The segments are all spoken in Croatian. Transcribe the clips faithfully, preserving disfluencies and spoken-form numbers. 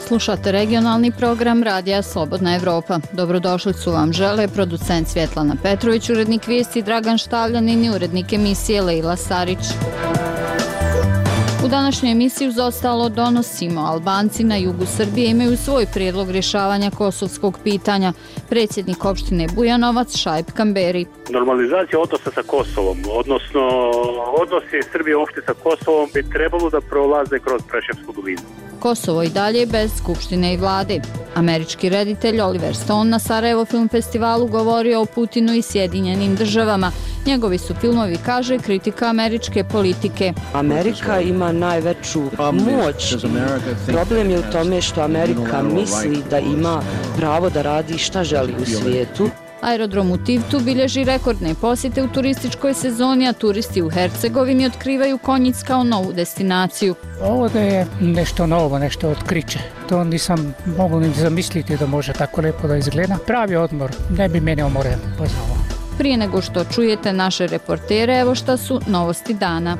Slušate regionalni program Radija Slobodna Evropa. Dobrodošlicu vam žele producent Svjetlana Petrović, urednik vijesti Dragan Štavljanin i urednik emisije Lejla Sarić. U današnjoj emisiji uz ostalo donosimo: Albanci na jugu Srbije imaju svoj prijedlog rješavanja kosovskog pitanja. Predsjednik opštine Bujanovac Šaip Kamberi. Normalizacija odnosa sa Kosovom, odnosno odnosi Srbije uopšte sa Kosovom bi trebalo da prolaze kroz Preševsku dolinu. Kosovo i dalje bez skupštine i vlade. Američki reditelj Oliver Stone na Sarajevo Film Festivalu govorio o Putinu i Sjedinjenim državama. Njegovi su filmovi, kaže, kritika američke politike. Amerika ima najveću moć. Problem je u tome što Amerika misli da ima pravo da radi šta želi u svijetu. Aerodrom u Tivtu bilježi rekordne posjete u turističkoj sezoni, a turisti u Hercegovini otkrivaju Konjic kao novu destinaciju. Ovo da je nešto novo, nešto otkriće. To nisam mogu ni zamisliti da može tako lepo da izgleda. Pravi odmor, ne bi mene umoreno poznao. Prije nego što čujete naše reportere, evo šta su novosti dana.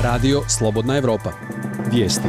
Radio Slobodna Evropa. Vijesti.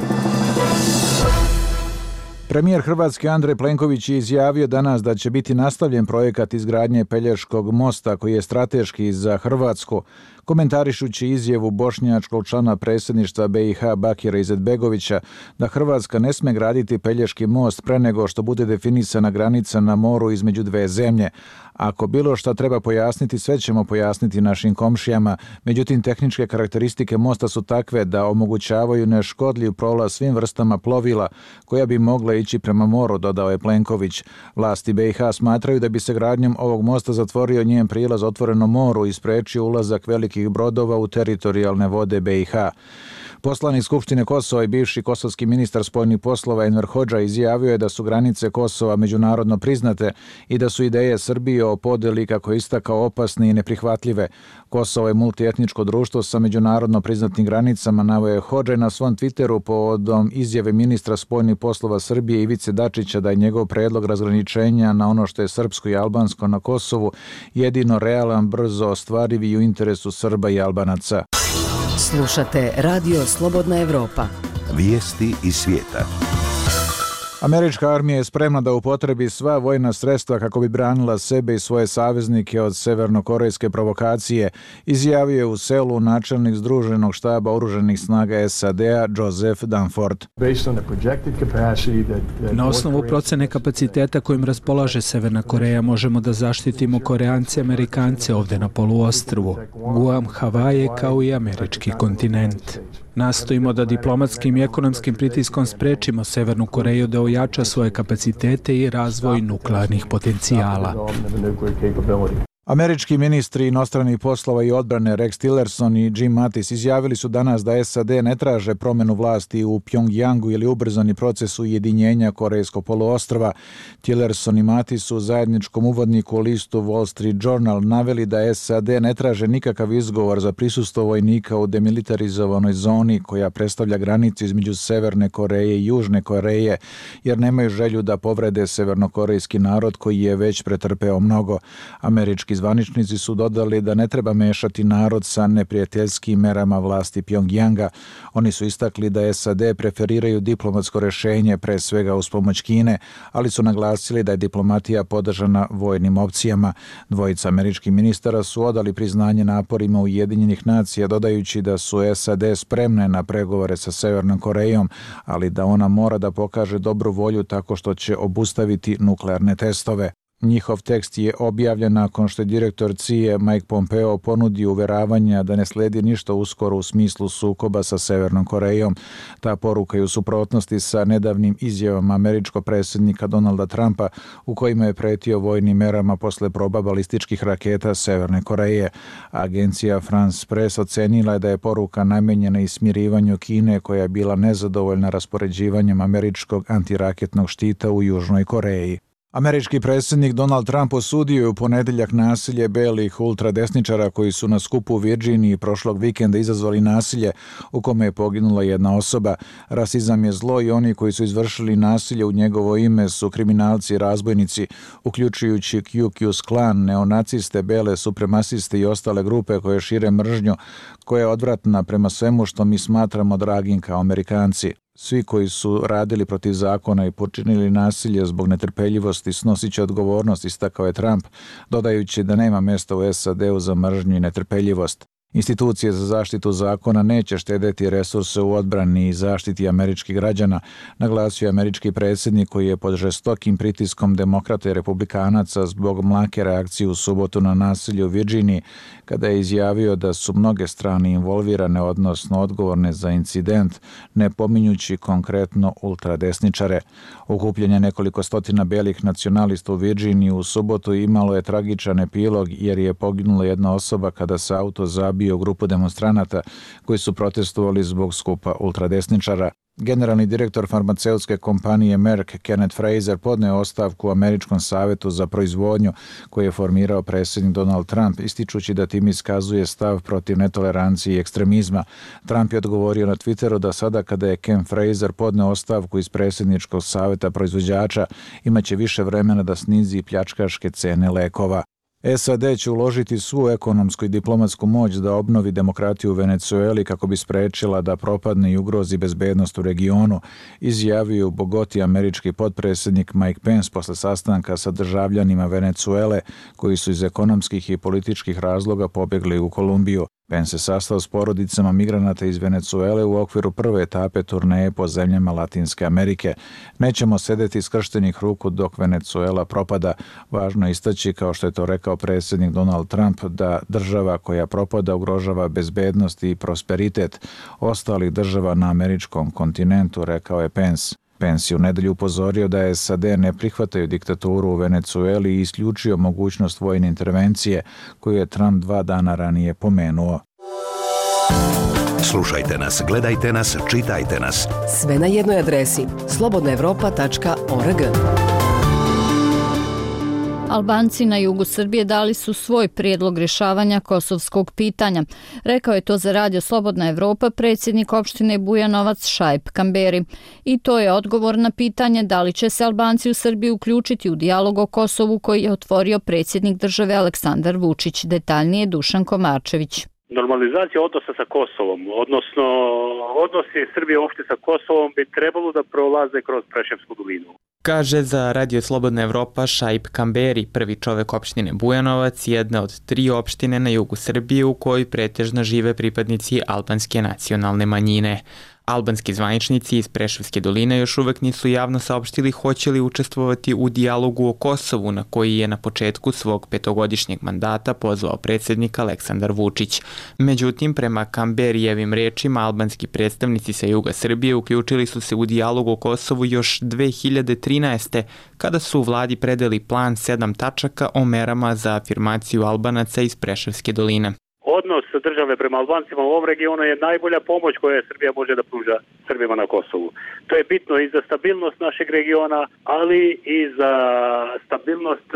Premijer Hrvatske Andrej Plenković je izjavio danas da će biti nastavljen projekat izgradnje Pelješkog mosta koji je strateški za Hrvatsku. Komentarišući izjavu bošnjačkog člana predsjedništva be i ha Bakira Izetbegovića da Hrvatska ne sme graditi Pelješki most pre nego što bude definisana granica na moru između dve zemlje. Ako bilo šta treba pojasniti, sve ćemo pojasniti našim komšijama. Međutim, tehničke karakteristike mosta su takve da omogućavaju neškodljiv prolaz svim vrstama plovila koja bi mogla ići prema moru, dodao je Plenković. Vlasti be i ha smatraju da bi se gradnjom ovog mosta zatvorio njen prilaz otvorenom moru i sprečio ulazak velikih brodova u teritorijalne vode be i ha. Poslanik Skupštine Kosova i bivši kosovski ministar spoljnih poslova Enver Hodža izjavio je da su granice Kosova međunarodno priznate i da su ideje Srbije o podeli, kako je istakao, opasne i neprihvatljive. Kosovo je multietničko društvo sa međunarodno priznatim granicama, naveo je Hodža na svom Twitteru povodom izjave ministra spoljnih poslova Srbije Ivice Dačića da je njegov predlog razgraničenja na ono što je srpsko i albansko na Kosovu jedino realan, brzo ostvariv i u interesu Srba i Albanaca. Slušate Radio Slobodna Evropa. Vijesti iz svijeta. Američka armija je spremna da upotrebi sva vojna sredstva kako bi branila sebe i svoje saveznike od severnokorejske provokacije, izjavio je u Seulu načelnik Združenog štaba oružanih snaga es a de a Joseph Dunford. Na osnovu procene kapaciteta kojim raspolaže Severna Koreja možemo da zaštitimo Koreance i Amerikance ovde na poluostrvu, Guam, Havaje kao i američki kontinent. Nastojimo da diplomatskim i ekonomskim pritiskom sprečimo Severnu Koreju da ojača svoje kapacitete i razvoj nuklearnih potencijala. Američki ministri inostranih poslova i odbrane Rex Tillerson i Jim Mattis izjavili su danas da es a de ne traže promjenu vlasti u Pjongjangu ili ubrzani proces ujedinjenja Korejskog poluostrva. Tillerson i Mattis u zajedničkom uvodniku u listu Wall Street Journal naveli da es a de ne traže nikakav izgovor za prisustvo vojnika u demilitarizovanoj zoni koja predstavlja granicu između Severne Koreje i Južne Koreje, jer nemaju želju da povrede severnokorejski narod koji je već pretrpeo mnogo. Američki zvaničnici su dodali da ne treba mešati narod sa neprijateljskim merama vlasti Pjongjanga. Oni su istakli da es a de preferiraju diplomatsko rješenje, pre svega uz pomoć Kine, ali su naglasili da je diplomatija podržana vojnim opcijama. Dvojica američkih ministara su odali priznanje naporima Ujedinjenih nacija, dodajući da su es a de spremne na pregovore sa Severnom Korejom, ali da ona mora da pokaže dobru volju tako što će obustaviti nuklearne testove. Njihov tekst je objavljen nakon što je direktor C I A Mike Pompeo ponudio uveravanja da ne sledi ništa uskoro u smislu sukoba sa Severnom Korejom. Ta poruka je u suprotnosti sa nedavnim izjavama američkog predsjednika Donalda Trumpa u kojima je pretio vojnim merama posle proba balističkih raketa Severne Koreje. Agencija France Press ocenila je da je poruka namenjena i smirivanju Kine koja je bila nezadovoljna raspoređivanjem američkog antiraketnog štita u Južnoj Koreji. Američki predsjednik Donald Trump osudio je u ponedjeljak nasilje belih ultradesničara koji su na skupu u Virginiji prošlog vikenda izazvali nasilje u kome je poginula jedna osoba. Rasizam je zlo i oni koji su izvršili nasilje u njegovo ime su kriminalci i razbojnici, uključujući Ku Klux Klan, neonaciste, bele supremasiste i ostale grupe koje šire mržnju, koja je odvratna prema svemu što mi smatramo dragim kao Amerikanci. Svi koji su radili protiv zakona i počinili nasilje zbog netrpeljivosti snosit će odgovornost, istakao je Trump, dodajući da nema mjesta u S A D-u za mržnju i netrpeljivost. Institucije za zaštitu zakona neće štedeti resurse u odbrani i zaštiti američkih građana, naglasio je američki predsjednik koji je pod žestokim pritiskom demokrata i republikanaca zbog mlake reakcije u subotu na nasilje u Virginiji, kada je izjavio da su mnoge strane involvirane, odnosno odgovorne za incident, ne pominjući konkretno ultradesničare. Okupljanje nekoliko stotina belih nacionalista u Virginiji u subotu imalo je tragičan epilog jer je poginula jedna osoba kada se auto zabio grupu demonstranata koji su protestovali zbog skupa ultradesničara. Generalni direktor farmaceutske kompanije Merck, Kenneth Frazier, podneo ostavku u Američkom savetu za proizvodnju koji je formirao predsjednik Donald Trump, ističući da tim iskazuje stav protiv netolerancije i ekstremizma. Trump je odgovorio na Twitteru da sada kada je Ken Frazier podneo ostavku iz predsjedničkog saveta proizvođača, imaće više vremena da snizi pljačkaške cene lekova. S A D će uložiti svu ekonomsku i diplomatsku moć da obnovi demokratiju u Venecueli kako bi sprečila da propadne i ugrozi bezbednost u regionu, izjavio u Bogoti američki potpredsjednik Mike Pence posle sastanka sa državljanima Venecuele koji su iz ekonomskih i političkih razloga pobjegli u Kolumbiju. Pence se sastao s porodicama migranata iz Venecuele u okviru prve etape turneje po zemljama Latinske Amerike. Nećemo sedeti skrštenih ruku dok Venecuela propada. Važno je istaći, kao što je to rekao predsjednik Donald Trump, da država koja propada ugrožava bezbednost i prosperitet ostalih država na američkom kontinentu, rekao je Pence. Pence je u nedelju upozorio da S A D ne prihvataju diktaturu u Venecueli i isključio mogućnost vojne intervencije koju je Trump dva dana ranije pomenuo. Slušajte nas, gledajte nas, čitajte nas. Sve na jednoj adresi slobodna evropa tačka org. Albanci na jugu Srbije dali su svoj prijedlog rješavanja kosovskog pitanja. Rekao je to za Radio Slobodna Evropa predsjednik opštine Bujanovac Šaip Kamberi. I to je odgovor na pitanje da li će se Albanci u Srbiji uključiti u dijalog o Kosovu koji je otvorio predsjednik države Aleksandar Vučić. Detaljnije Dušan Komarčević. Normalizacija odnosa sa Kosovom, odnosno odnosi Srbije uopšte sa Kosovom bi trebalo da prolaze kroz Preševsku dolinu. Kaže za Radio Slobodna Evropa Šaip Kamberi, prvi čovek opštine Bujanovac, jedna od tri opštine na jugu Srbije u kojoj pretežno žive pripadnici albanske nacionalne manjine. Albanski zvaničnici iz Preševske doline još uvek nisu javno saopštili hoće li učestvovati u dijalogu o Kosovu na koji je na početku svog petogodišnjeg mandata pozvao predsjednik Aleksandar Vučić. Međutim, prema Kamberijevim rečima, albanski predstavnici sa juga Srbije uključili su se u dijalog o Kosovu još dve hiljade trinaeste. kada su u vladi predali plan sedam tačaka o merama za afirmaciju Albanaca iz Preševske doline. Odnos države prema Albancima u ovom regionu je najbolja pomoć koja Srbija može da pruža Srbima na Kosovu. To je bitno i za stabilnost našeg regiona, ali i za stabilnost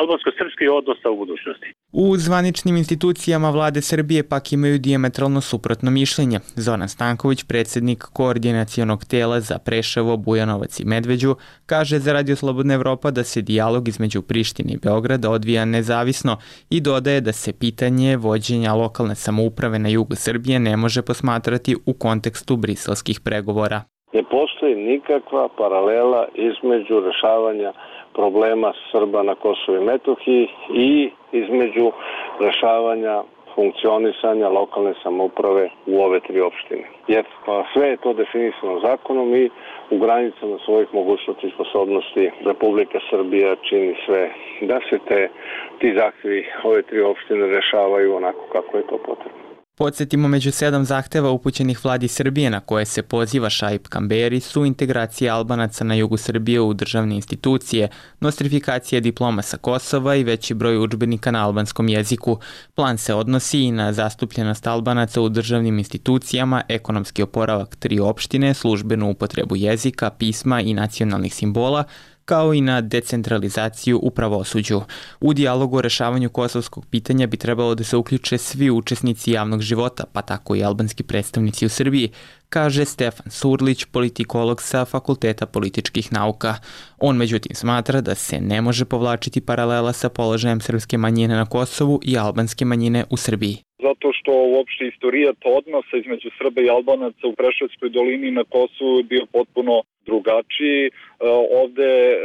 albansko-srpskih odnosa u budućnosti. U zvaničnim institucijama vlade Srbije pak imaju dijametralno suprotno mišljenje. Zoran Stanković, predsjednik koordinacionog tela za Preševo, Bujanovac i Medveđu, kaže za Radio Slobodna Evropa da se dijalog između Prištine i Beograda odvija nezavisno i dodaje da se pitanje vođenja lokalne samouprave na jugu Srbije ne može posmatrati u kontekstu briselskih pregovora. Ne postoji nikakva paralela između rešavanja problema Srba na Kosovu i Metohiji i između rešavanja funkcionisanja lokalne samouprave u ove tri opštine. Jer sve je to definisano zakonom i u granicama svojih mogućnosti i sposobnosti Republika Srbija čini sve da se te, ti zahtjevi ove tri opštine rešavaju onako kako je to potrebno. Podsjetimo, među sedam zahteva upućenih vladi Srbije na koje se poziva Šaip Kamberi su integracija Albanaca na jugu Srbije u državne institucije, nostrifikacija diploma sa Kosova i veći broj udžbenika na albanskom jeziku. Plan se odnosi i na zastupljenost Albanaca u državnim institucijama, ekonomski oporavak tri opštine, službenu upotrebu jezika, pisma i nacionalnih simbola, kao i na decentralizaciju u pravosuđu. U dijalogu o rešavanju kosovskog pitanja bi trebalo da se uključe svi učesnici javnog života, pa tako i albanski predstavnici u Srbiji, kaže Stefan Surlić, politikolog sa Fakulteta političkih nauka. On međutim smatra da se ne može povlačiti paralela sa položajem srpske manjine na Kosovu i albanske manjine u Srbiji. Zato što uopšte istorijat odnosa između Srba i Albanaca u Preševskoj dolini na Kosovu je bio potpuno drugačiji. E, ovde e,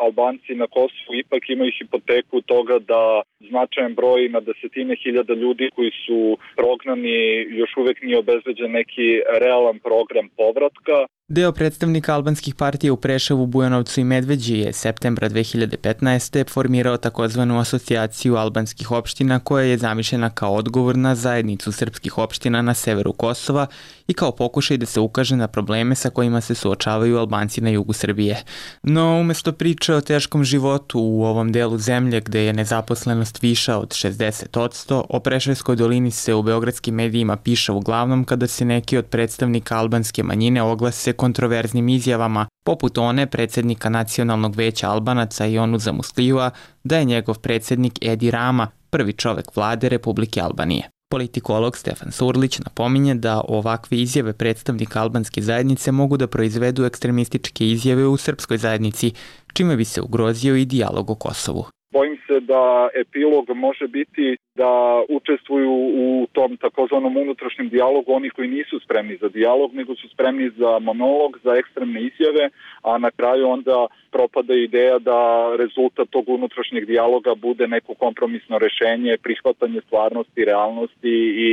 Albanci na Kosovu ipak imaju hipoteku toga da značajan broj na desetine hiljada ljudi koji su prognani još uvek nije obezbeđen neki realan program povratka. Deo predstavnika albanskih partija u Preševu, Bujanovcu i Medveđi je septembra dve hiljade petnaeste. formirao takozvanu asocijaciju albanskih opština koja je zamišljena kao odgovor na zajednicu srpskih opština na severu Kosova i kao pokušaj da se ukaže na probleme sa kojima se suočavaju Albanci na jugu Srbije. No, umesto priče o teškom životu u ovom delu zemlje gde je nezaposlenost viša od šezdeset posto, o Preševskoj dolini se u beogradskim medijima piše uglavnom kada se neki od predstavnika albanske manjine oglase kontroverznim izjavama, poput one predsednika Nacionalnog veća Albanaca Jonuza Muslijua, da je njegov predsednik Edi Rama prvi čovek vlade Republike Albanije. Politikolog Stefan Surlić napominje da ovakve izjave predstavnika albanske zajednice mogu da proizvedu ekstremističke izjave u srpskoj zajednici, čime bi se ugrozio i dijalog o Kosovu. Bojim se da epilog može biti da učestvuju u tom takozvanom unutrašnjem dijalogu oni koji nisu spremni za dijalog, nego su spremni za monolog, za ekstremne izjave, a na kraju onda propada ideja da rezultat tog unutrašnjeg dijaloga bude neko kompromisno rešenje, prihvatanje stvarnosti, realnosti i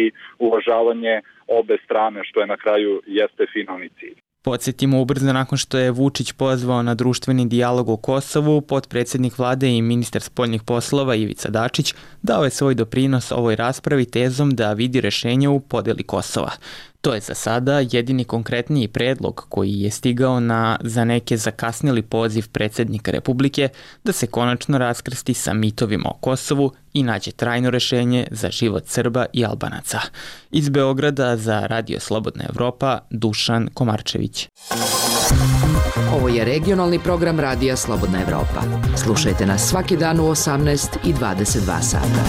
uvažavanje obe strane, što je na kraju jeste finalni cilj. Podsjetimo, ubrzo nakon što je Vučić pozvao na društveni dijalog o Kosovu, potpredsednik vlade i ministar spoljnih poslova Ivica Dačić dao je svoj doprinos ovoj raspravi tezom da vidi rešenje u podeli Kosova. To je za sada jedini konkretniji predlog koji je stigao na za neke zakasnili poziv predsednika Republike da se konačno raskrsti sa mitovima o Kosovu i nađe trajno rešenje za život Srba i Albanaca. Iz Beograda za Radio Slobodna Evropa, Dušan Komarčević. Ovo je regionalni program Radija Slobodna Evropa. Slušajte nas svaki dan u osamnaest i dvadeset dva sata.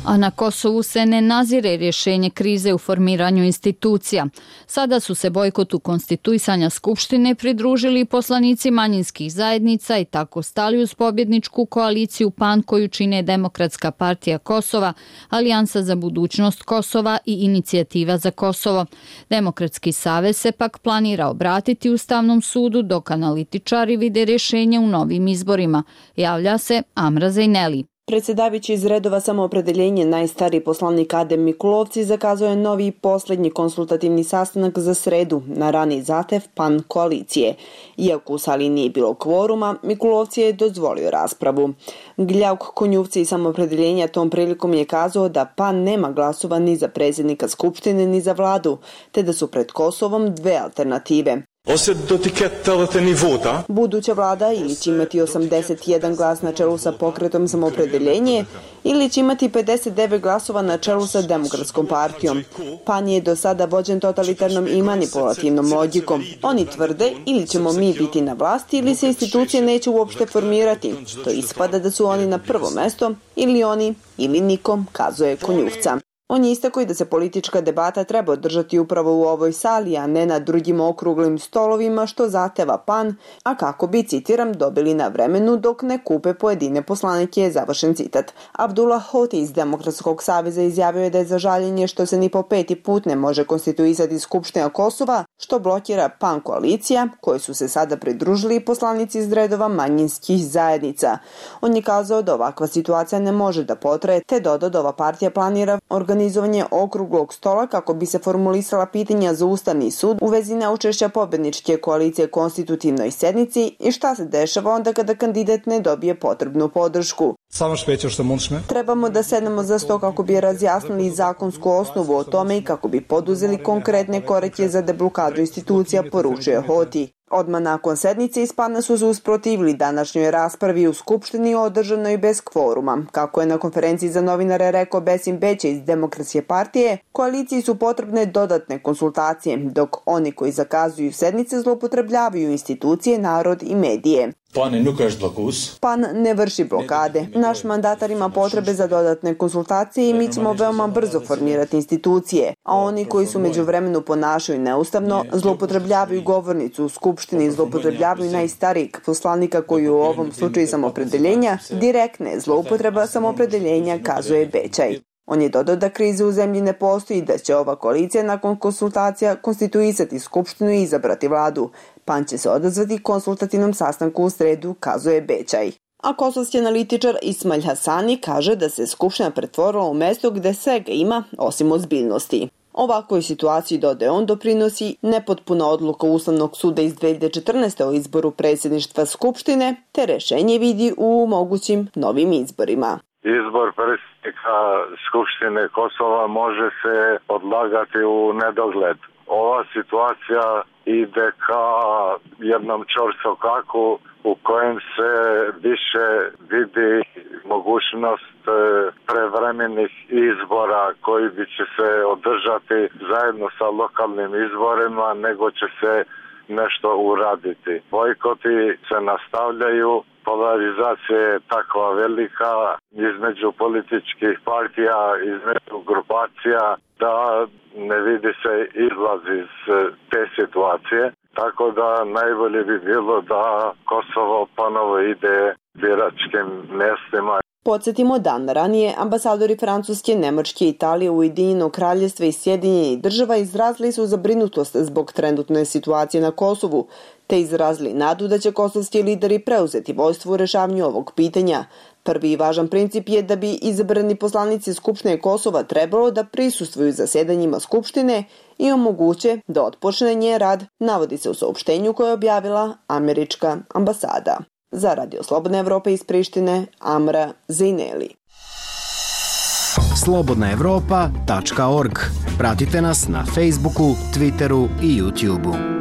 A na Kosovu se ne nazire rješenje krize u formiranju institucija. Sada su se bojkotu konstituisanja Skupštine pridružili poslanici manjinskih zajednica i tako stali uz pobjedničku koaliciju P A N koju čine Demokratska partija Kosova, Alijansa za budućnost Kosova i Inicijativa za Kosovo. Demokratski savez se pak planira obratiti Ustavnom sudu dok analitičari vide rješenje u novim izborima. Javlja se Amra Zejneli. Predsjedavajući iz redova Samoopredeljenje, najstariji poslanik Adem Mikulovci zakazao je novi i posljednji konsultativni sastanak za sredu na rani zahtev P A N koalicije. Iako u sali nije bilo kvoruma, Mikulovci je dozvolio raspravu. Gljauk Konjuvci iz Samoopredeljenja tom prilikom je kazao da P A N nema glasova ni za predsjednika Skupštine ni za vladu, te da su pred Kosovom dve alternative. Buduća vlada ili će imati osamdeset jedan glas na čelu sa pokretom Samoopredeljenje ili će imati pedeset devet glasova na čelu sa Demokratskom partijom. P A N je do sada vođen totalitarnom i manipulativnom logikom. Oni tvrde ili ćemo mi biti na vlasti ili se institucije neće uopšte formirati. To ispada da su oni na prvo mesto ili oni ili nikom, kazuje Konjuvca. On je istakao i da se politička debata treba održati upravo u ovoj sali, a ne na drugim okruglim stolovima što zahteva P A N, a kako bi, citiram, dobili na vremenu dok ne kupe pojedine poslanike, završen citat. Abdullah Hoti iz Demokratskog saveza izjavio je da je za žaljenje što se ni po peti put ne može konstituisati Skupština Kosova, što blokira P A N koalicija, koje su se sada pridružili poslanici iz redova manjinskih zajednica. On je kazao da ovakva situacija ne može da potraje, te dodao da ova partija planira organizovanje okruglog stola kako bi se formulisala pitanja za Ustavni sud u vezi neučešća pobedničke koalicije konstitutivnoj sednici i šta se dešava onda kada kandidat ne dobije potrebnu podršku. Trebamo da sednemo za sto kako bi razjasnili zakonsku osnovu o tome i kako bi poduzeli konkretne korake za deblokadu institucija, poručuje Hoti. Odmah nakon sednice iz Pana su se usprotivili današnjoj raspravi u Skupštini održanoj bez kvoruma. Kako je na konferenciji za novinare rekao Besim Beća iz Demokratske partije, koaliciji su potrebne dodatne konsultacije, dok oni koji zakazuju sednice zloupotrebljavaju institucije, narod i medije. Pan ne vrši blokade. Naš mandatar ima potrebe za dodatne konsultacije i mi ćemo veoma brzo formirati institucije, a oni koji su međuvremenu ponašaju neustavno, zloupotrebljavaju govornicu u Skupštini, zloupotrebljavaju najstarijeg poslanika koji u ovom slučaju samopredeljenja, direktne zloupotreba samopredeljenja, kazuje Bećaj. On je dodao da krize u zemlji ne postoji i da će ova koalicija nakon konsultacija konstituisati Skupštinu i izabrati vladu. Pan će se odazvati konsultativnom sastanku u sredu, kazuje Bećaj. A kosovski analitičar Ismail Hasani kaže da se Skupština pretvorila u mesto gde svega ima osim ozbiljnosti. Ovakvoj situaciji, dodaje on, doprinosi nepotpuna odluka Ustavnog suda iz dve hiljade četrnaeste. o izboru predsjedništva Skupštine, te rešenje vidi u mogućim novim izborima. Izbor predsjednika Skupštine Kosova može se odlagati u nedogled. Ova situacija ide ka jednom čorsokaku u kojem se više vidi mogućnost prevremenih izbora koji bi će se održati zajedno sa lokalnim izborima, nego će se nešto uraditi. Bojkoti se nastavljaju, polarizacija je takva velika između političkih partija, između grupacija, da ne vidi se izlaz iz te situacije. Tako da najbolje bi bilo da Kosovo ponovo ide biračkim mjestima. Podsjetimo, dan ranije ambasadori Francuske, Nemačke, Italije, Ujedinjenog Kraljevstva i Sjedinjenih Država izrazili su zabrinutost zbog trenutne situacije na Kosovu, te izrazili nadu da će kosovski lideri preuzeti vodstvo u rešavanju ovog pitanja. Prvi i važan princip je da bi izabrani poslanici Skupštine Kosova trebalo da prisustvuju zasedanjima Skupštine i omoguće da otpočne njen rad, navodi se u saopštenju koje je objavila američka ambasada. Za Radio Slobodna Evropa iz Prištine, Amra Zejneli. slobodna evropa tačka org. Pratite nas na Facebooku, Twitteru i YouTubeu.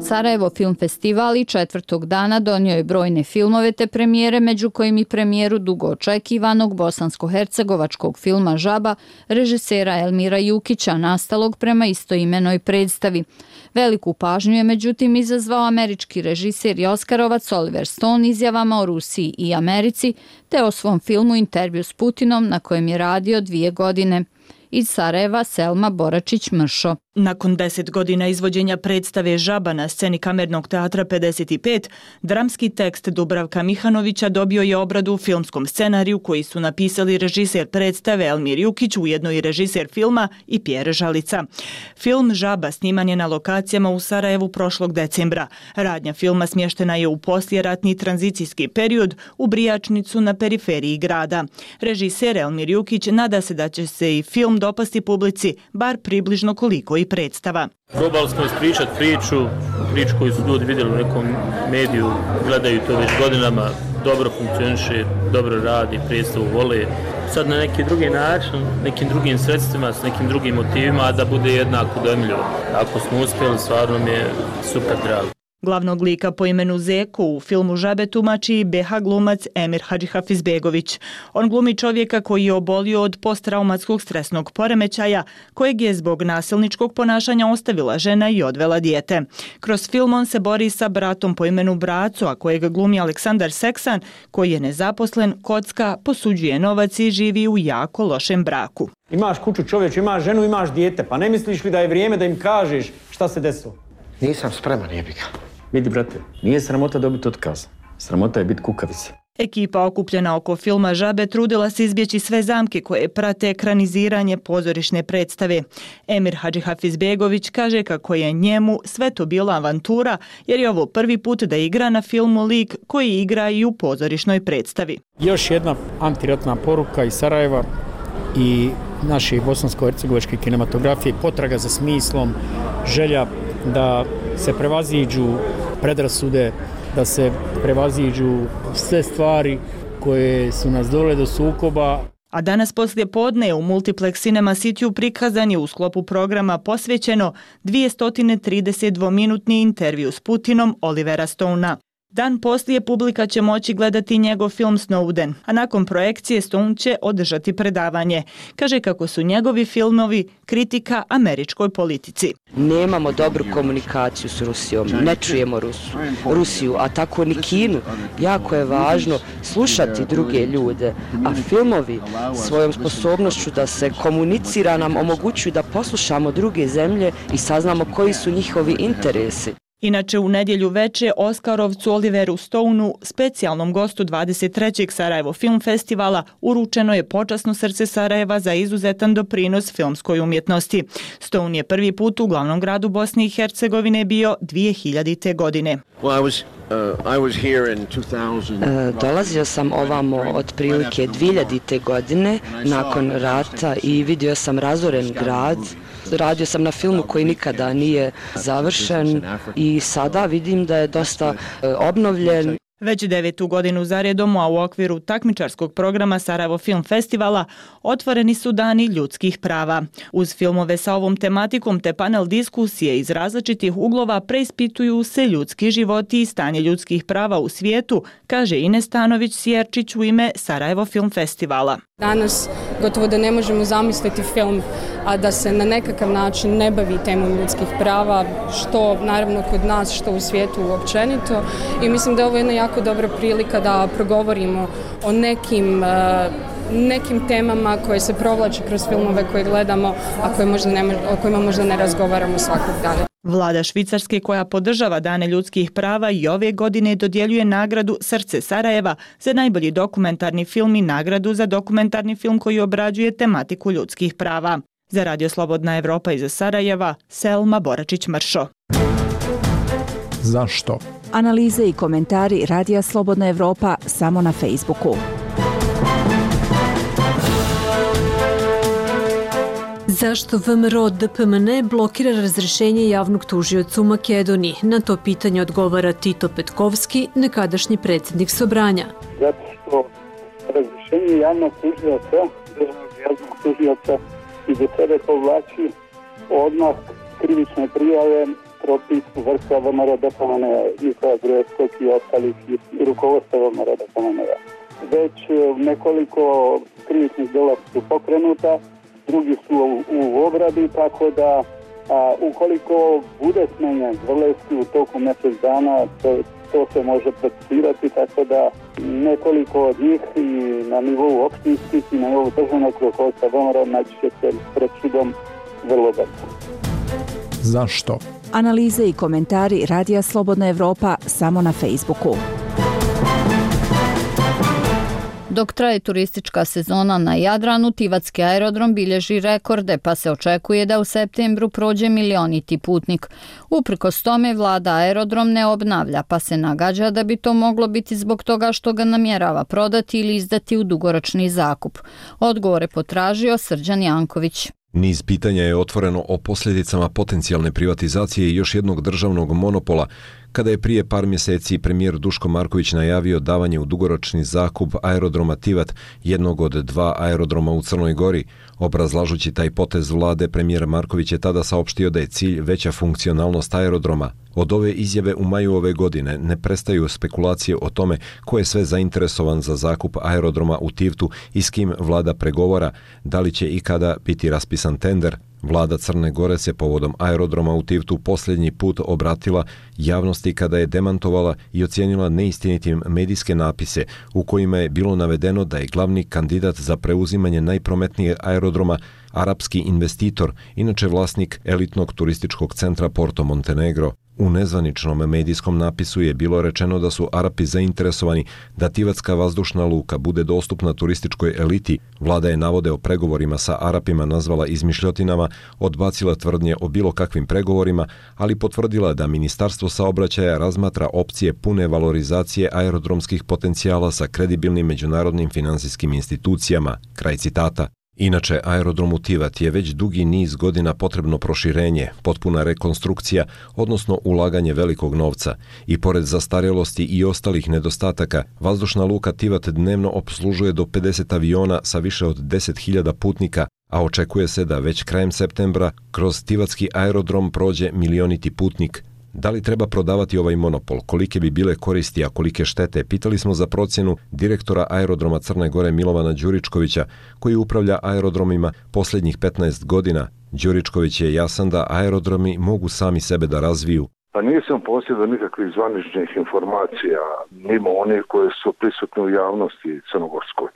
Sarajevo Film Festival i četvrtog dana donio je brojne filmove te premijere, među kojim i premijeru dugo očekivanog bosansko-hercegovačkog filma Žaba režisera Elmira Jukića, nastalog prema istoimenoj predstavi. Veliku pažnju je međutim izazvao američki režiser i Oskarovac Oliver Stone izjavama o Rusiji i Americi, te o svom filmu Intervju s Putinom, na kojem je radio dvije godine. Iz Sarajeva Selma Boračić-Mršo. Nakon deset godina izvođenja predstave Žaba na sceni Kamernog teatra pedeset pet, dramski tekst Dubravka Mihanovića dobio je obradu u filmskom scenariju koji su napisali režiser predstave Elmir Jukić, ujedno i režiser filma i Pjer Žalica. Film Žaba sniman je na lokacijama u Sarajevu prošlog decembra. Radnja filma smještena je u poslijeratni tranzicijski period u Brijačnicu na periferiji grada. Režiser Elmir Jukić nada se da će se i film dopasti publici, bar približno koliko i predstava. Probali smo ispričati priču, priču koju su ljudi vidjeli u nekom mediju, gledaju to već godinama, dobro funkcioniše, dobro radi, predstavu vole. Sad na neki drugi način, nekim drugim sredstvima, s nekim drugim motivima, a da bude jednako dojmljivo. Ako smo uspjeli, stvarno mi je super drago. Glavnog lika po imenu Zeko u filmu Žabe tumači B H glumac Emir Hadžihafizbegović. On glumi čovjeka koji je obolio od posttraumatskog stresnog poremećaja, kojeg je zbog nasilničkog ponašanja ostavila žena i odvela dijete. Kroz film on se bori sa bratom po imenu Braco, a kojeg glumi Aleksandar Seksan, koji je nezaposlen, kocka, posuđuje novac i živi u jako lošem braku. Imaš kuću čovječ, imaš ženu, imaš dijete, pa ne misliš li da je vrijeme da im kažeš šta se desilo? Nisam spreman, jebika. Vidi, brate, nije sramota dobiti otkaz. Sramota je biti kukavica. Ekipa okupljena oko filma Žabe trudila se izbjeći sve zamke koje prate ekraniziranje pozorišne predstave. Emir Hadžihafizbegović kaže kako je njemu sve to bila avantura, jer je ovo prvi put da igra na filmu lik koji igra i u pozorišnoj predstavi. Još jedna antiratna poruka iz Sarajeva i naše bosansko-hercegovačke kinematografije, potraga za smislom, želja da se prevaziđu predrasude, da se prevaziđu sve stvari koje su nas dovele do sukoba. A danas poslije podne u Multiplex Cinema Cityu prikazan je u sklopu programa posvećeno dvjesto trideset dvominutni intervju s Putinom Olivera Stonea. Dan poslije publika će moći gledati njegov film Snowden, a nakon projekcije Stone će održati predavanje. Kaže kako su njegovi filmovi kritika američkoj politici. Nemamo dobru komunikaciju s Rusijom, ne čujemo Rusu, Rusiju, a tako ni Kinu. Jako je važno slušati druge ljude, a filmovi svojom sposobnošću da se komunicira nam omogućuju da poslušamo druge zemlje i saznamo koji su njihovi interesi. Inače, u nedjelju veče Oskarovcu Oliveru Stoneu, specijalnom gostu dvadeset trećeg Sarajevo Film Festivala, uručeno je počasno srce Sarajeva za izuzetan doprinos filmskoj umjetnosti. Stone je prvi put u glavnom gradu Bosne i Hercegovine bio dvije hiljadite. godine. Dolazio sam ovamo otprilike dvije hiljadite. godine nakon rata i vidio sam razoren grad. Radio sam na filmu koji nikada nije završen i sada vidim da je dosta obnovljen. Već devetu godinu zaredom, a u okviru takmičarskog programa Sarajevo Film Festivala otvoreni su dani ljudskih prava. Uz filmove sa ovom tematikom te panel diskusije iz različitih uglova preispituju se ljudski životi i stanje ljudskih prava u svijetu, kaže Ines Stanović-Sjerčić u ime Sarajevo Film Festivala. Danas gotovo da ne možemo zamisliti film, a da se na nekakav način ne bavi temom ljudskih prava, što naravno kod nas, što u svijetu općenito. I mislim da je ovo jedna jako dobra prilika da progovorimo o nekim, nekim temama koje se provlače kroz filmove koje gledamo, a koje možda ne, o kojima možda ne razgovaramo svakog dana. Vlada Švicarske, koja podržava Dane ljudskih prava, i ove godine dodjeljuje nagradu Srce Sarajeva za najbolji dokumentarni film i nagradu za dokumentarni film koji obrađuje tematiku ljudskih prava. Za Radio Slobodna Evropa iz Sarajeva, Selma Boračić-Mršo. Zašto? Analize i komentari Radija Slobodna Evropa samo na Facebooku. Zašto V M R O D P M N blokira razrešenje javnog tužioca u Makedoniji? Na to pitanje odgovara Tito Petkovski, nekadašnji predsjednik Sobranja. Zato što razrešenje javnog tužioca, državnog javnog tužioca, i do sebe povlači odmah krivične prijave protiv vrha V M R O D P M N, Nikolaja Gruevskog i ostalih i rukovodstva V M R O D P M N. Već nekoliko krivičnih dela su pokrenuta, drugi su u, u obradi, tako da a, ukoliko bude smenjen Zvrlevski u toku mjesec dana, to, to se može procesirati, tako da nekoliko od njih i na nivou opštinskih i na nivou državnog rukovodstva V M R O naći će se pred sudom vrlo brzo. Zašto? Analize i komentari Radija Slobodna Evropa samo na Facebooku. Dok traje turistička sezona na Jadranu, Tivatski aerodrom bilježi rekorde, pa se očekuje da u septembru prođe milioniti putnik. Uprkos tome, vlada aerodrom ne obnavlja, pa se nagađa da bi to moglo biti zbog toga što ga namjerava prodati ili izdati u dugoročni zakup. Odgovore potražio Srđan Janković. Niz pitanja je otvoreno o posljedicama potencijalne privatizacije i još jednog državnog monopola, kada je prije par mjeseci premijer Duško Marković najavio davanje u dugoročni zakup aerodroma Tivat, jednog od dva aerodroma u Crnoj Gori. Obrazlažući taj potez vlade, premijer Marković je tada saopštio da je cilj veća funkcionalnost aerodroma. Od ove izjave u maju ove godine ne prestaju spekulacije o tome ko je sve zainteresovan za zakup aerodroma u Tivtu i s kim vlada pregovora, da li će ikada biti raspisan tender. Vlada Crne Gore se povodom aerodroma u Tivtu posljednji put obratila javnosti kada je demantovala i ocijenila neistinitim medijske napise u kojima je bilo navedeno da je glavni kandidat za preuzimanje najprometnijeg aerodroma arapski investitor, inače vlasnik elitnog turističkog centra Porto Montenegro. U nezvaničnom medijskom napisu je bilo rečeno da su Arapi zainteresovani da Tivatska vazdušna luka bude dostupna turističkoj eliti. Vlada je navode o pregovorima sa Arapima nazvala izmišljotinama, odbacila tvrdnje o bilo kakvim pregovorima, ali potvrdila da Ministarstvo saobraćaja razmatra opcije pune valorizacije aerodromskih potencijala sa kredibilnim međunarodnim finansijskim institucijama. Kraj citata. Inače, aerodromu Tivat je već dugi niz godina potrebno proširenje, potpuna rekonstrukcija, odnosno ulaganje velikog novca. I pored zastarjelosti i ostalih nedostataka, vazdušna luka Tivat dnevno opslužuje do pedeset aviona sa više od deset hiljada putnika, a očekuje se da već krajem septembra kroz Tivatski aerodrom prođe milioniti putnik. Da li treba prodavati ovaj monopol? Kolike bi bile koristi, a kolike štete? Pitali smo za procjenu direktora aerodroma Crne Gore Milovana Đuričkovića, koji upravlja aerodromima posljednjih petnaest godina. Đuričković je jasan da aerodromi mogu sami sebe da razviju. Pa nisam posjedao nikakvih zvaničnih informacija, mimo onih koje su prisutne u javnosti crnogorskoj.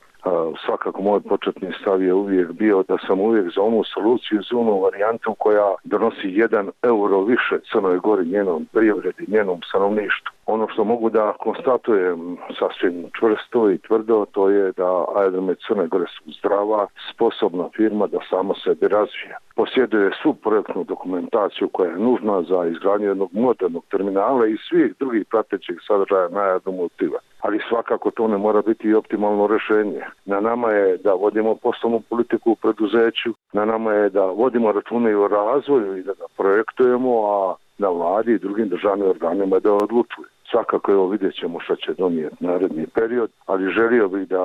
Svakako moj početni stav je uvijek bio da sam uvijek za onu soluciju, za onu varijantu koja donosi jedan euro više Crnoj Gori, njenom privredi, njenom stanovništvu. Ono što mogu da konstatujem sasvim čvrsto i tvrdo, to je da aerodromi Crne Gore su zdrava, sposobna firma da samo sebi razvija. Posjeduje svu projektnu dokumentaciju koja je nužna za izgradnju jednog modernog terminala i svih drugih pratećih sadržaja na aerodromu Tivat. Ali svakako to ne mora biti i optimalno rješenje. Na nama je da vodimo poslovnu politiku u preduzeću, na nama je da vodimo račune i o razvoju i da ga projektujemo, a na vladi i drugim državnim organima da odlučuju. Svakako evo vidjet ćemo što će donijeti naredni period, ali želio bih da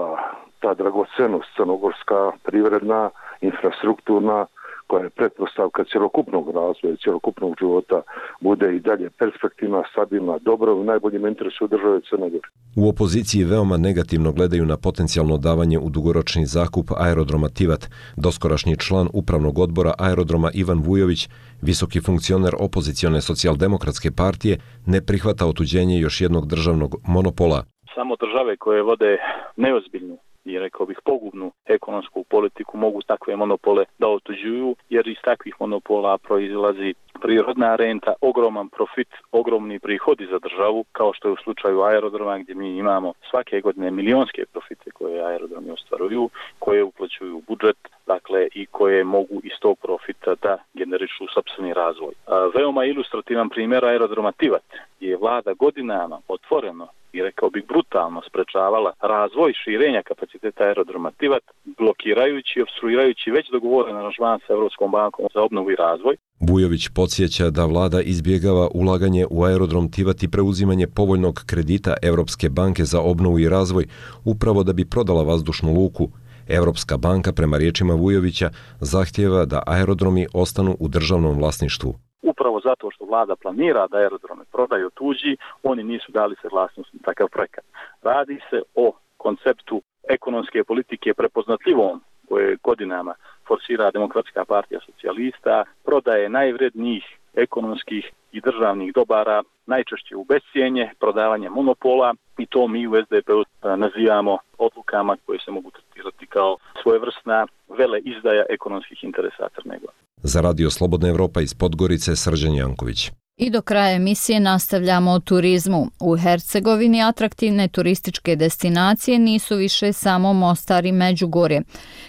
ta dragocenost crnogorska, privredna, infrastrukturna, koja je pretpostavka cjelokupnog razvoja, cjelokupnog života, bude i dalje perspektivna, stabilna, dobro u najboljem interesu države Crne Gore. U opoziciji veoma negativno gledaju na potencijalno davanje u dugoročni zakup aerodroma Tivat. Doskorašnji član upravnog odbora aerodroma Ivan Vujović, visoki funkcioner opozicione socijaldemokratske partije, ne prihvata otuđenje još jednog državnog monopola. Samo države koje vode neozbiljnu i rekao bih pogubnu ekonomsku politiku mogu takve monopole da otuđuju, jer iz takvih monopola proizlazi prirodna renta, ogroman profit, ogromni prihodi za državu, kao što je u slučaju aerodroma gdje mi imamo svake godine milionske profite koje aerodromi ostvaruju, koje uplaćuju u budžet, dakle i koje mogu iz tog profita da generišu sopstveni razvoj. A, veoma ilustrativan primjer aerodroma Tivat je vlada godinama otvoreno i rekao bih brutalno sprečavala razvoj širenja kapaciteta aerodroma Tivat, blokirajući i opstruirajući već dogovoren aranžman sa Europskom bankom za obnovu i razvoj. Vujović podsjeća da vlada izbjegava ulaganje u aerodrom Tivat i preuzimanje povoljnog kredita Europske banke za obnovu i razvoj, upravo da bi prodala vazdušnu luku. Europska banka, prema riječima Vujovića, zahtijeva da aerodromi ostanu u državnom vlasništvu. Upravo zato što vlada planira da aerodrome prodaju tuđi, oni nisu dali saglasnost na takav projekat. Radi se o konceptu ekonomske politike prepoznatljivom koje godinama forsira Demokratska partija socijalista, prodaje najvrednijih ekonomskih i državnih dobara, najčešće u bescijenje, prodavanje monopola, i to mi u S D P-u nazivamo odlukama koje se mogu tretirati kao svojevrsna vele izdaja ekonomskih interesa Crne Gore. Za Radio Slobodna Evropa iz Podgorice, Srđan Janković. I do kraja emisije nastavljamo o turizmu. U Hercegovini atraktivne turističke destinacije nisu više samo Mostar i Međugorje.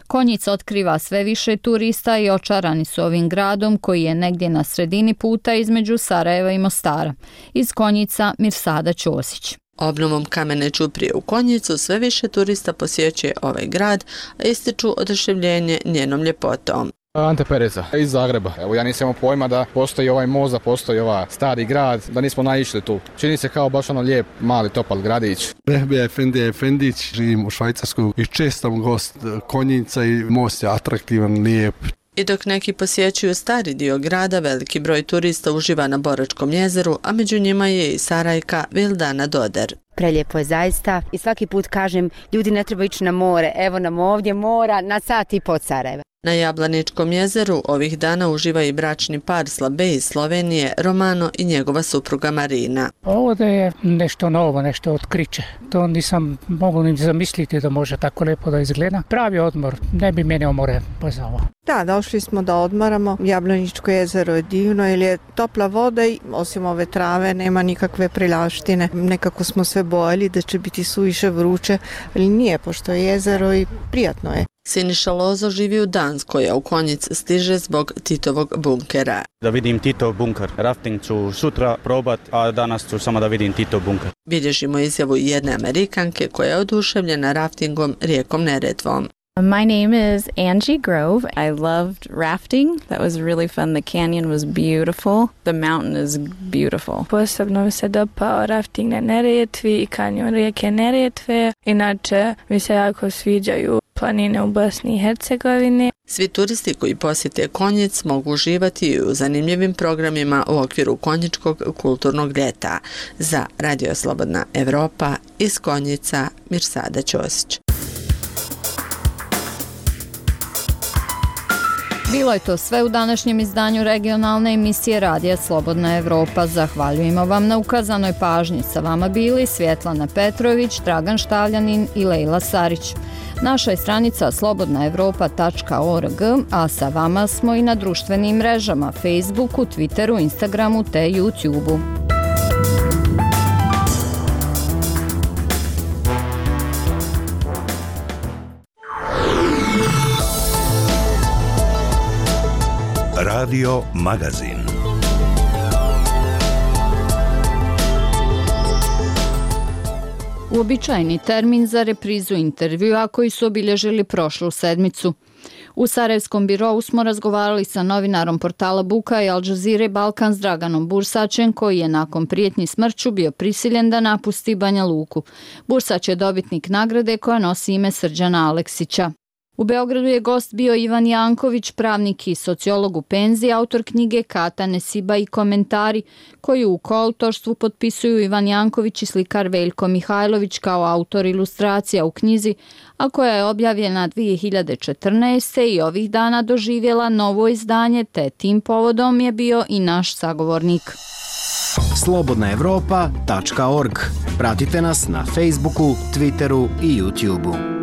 Konjica otkriva sve više turista i očarani su ovim gradom koji je negdje na sredini puta između Sarajeva i Mostara. Iz Konjica Mirsada Ćosić. Obnovom kamene ćuprije u Konjicu sve više turista posjećuje ovaj grad, a ističu oduševljenje njenom ljepotom. Ante Pereza iz Zagreba. Evo, ja nisam imao pojma da postoji ovaj most, da postoji ovaj stari grad, da nismo naišli tu. Čini se kao baš ono lijep, mali, topal gradić. Rehbija Efendija Efendić, živim u Švajcarsku i čestam gost Konjica i most je atraktivan, lijep. I dok neki posjećuju stari dio grada, veliki broj turista uživa na Boračkom jezeru, a među njima je i Sarajka Vildana Doder. Prelijepo je zaista i svaki put kažem, ljudi ne treba ići na more, evo nam ovdje mora na sat i po od Sarajeva. Na Jablaničkom jezeru ovih dana uživa i bračni par Slabe iz Slovenije, Romano i njegova supruga Marina. Ovdje je nešto novo, nešto otkriće. To nisam mogao ni zamisliti da može tako lijepo da izgleda. Pravi odmor, ne bi mene more pozvao. Da, došli smo da odmaramo. Jablaničko jezero je divno jer je topla voda i osim ove trave nema nikakve prilaštine. Nekako smo sve bojali da će biti suviše vruće, ali nije, pošto je jezero i prijatno je. Siniša Lozo živi u Danskoj, a u Konjic stiže zbog Titovog bunkera. Da vidim Titov bunker. Rafting ću sutra probat, a danas ću samo da vidim Titov bunker. Bilježimo izjavu jedne Amerikanke koja je oduševljena raftingom rijekom Neretvom. My name is Angie Grove. I loved rafting. That was really fun. The canyon was beautiful. The mountain is beautiful. Posebno mi se dopao rafting na Neretvi i kanjon rijeke Neretve. Inače mi se jako sviđaju planine u Bosni i Hercegovini. Svi turisti koji posjete Konjic mogu uživati u zanimljivim programima u okviru Konjičkog kulturnog ljeta. Za Radio Slobodna Evropa iz Konjica, Mirsada Ćosić. Bilo je to sve u današnjem izdanju regionalne emisije Radija Slobodna Evropa. Zahvaljujemo vam na ukazanoj pažnji. Sa vama bili Svjetlana Petrović, Dragan Štavljanin i Lejla Sarić. Naša je stranica slobodna evropa tačka org, a sa vama smo i na društvenim mrežama Facebooku, Twitteru, Instagramu te YouTubeu. Radio Magazin. Uobičajeni termin za reprizu intervjua koji su obilježili prošlu sedmicu. U Sarajevskom birovu smo razgovarali sa novinarom portala Buka i Al Jazeere Balkan s Draganom Bursaćem, koji je nakon prijetnji smrću bio prisiljen da napusti Banja Luku. Bursać je dobitnik nagrade koja nosi ime Srđana Aleksića. U Beogradu je gost bio Ivan Janković, pravnik i sociolog u penziji, autor knjige Kata, Nesiba i komentari, koju u koautorstvu potpisuju Ivan Janković i slikar Veljko Mihajlović kao autor ilustracija u knjizi, a koja je objavljena dvije hiljade četrnaeste. i ovih dana doživjela novo izdanje, te tim povodom je bio i naš sagovornik. slobodna evropa tačka org. Pratite nas na Facebooku, Twitteru i YouTubeu.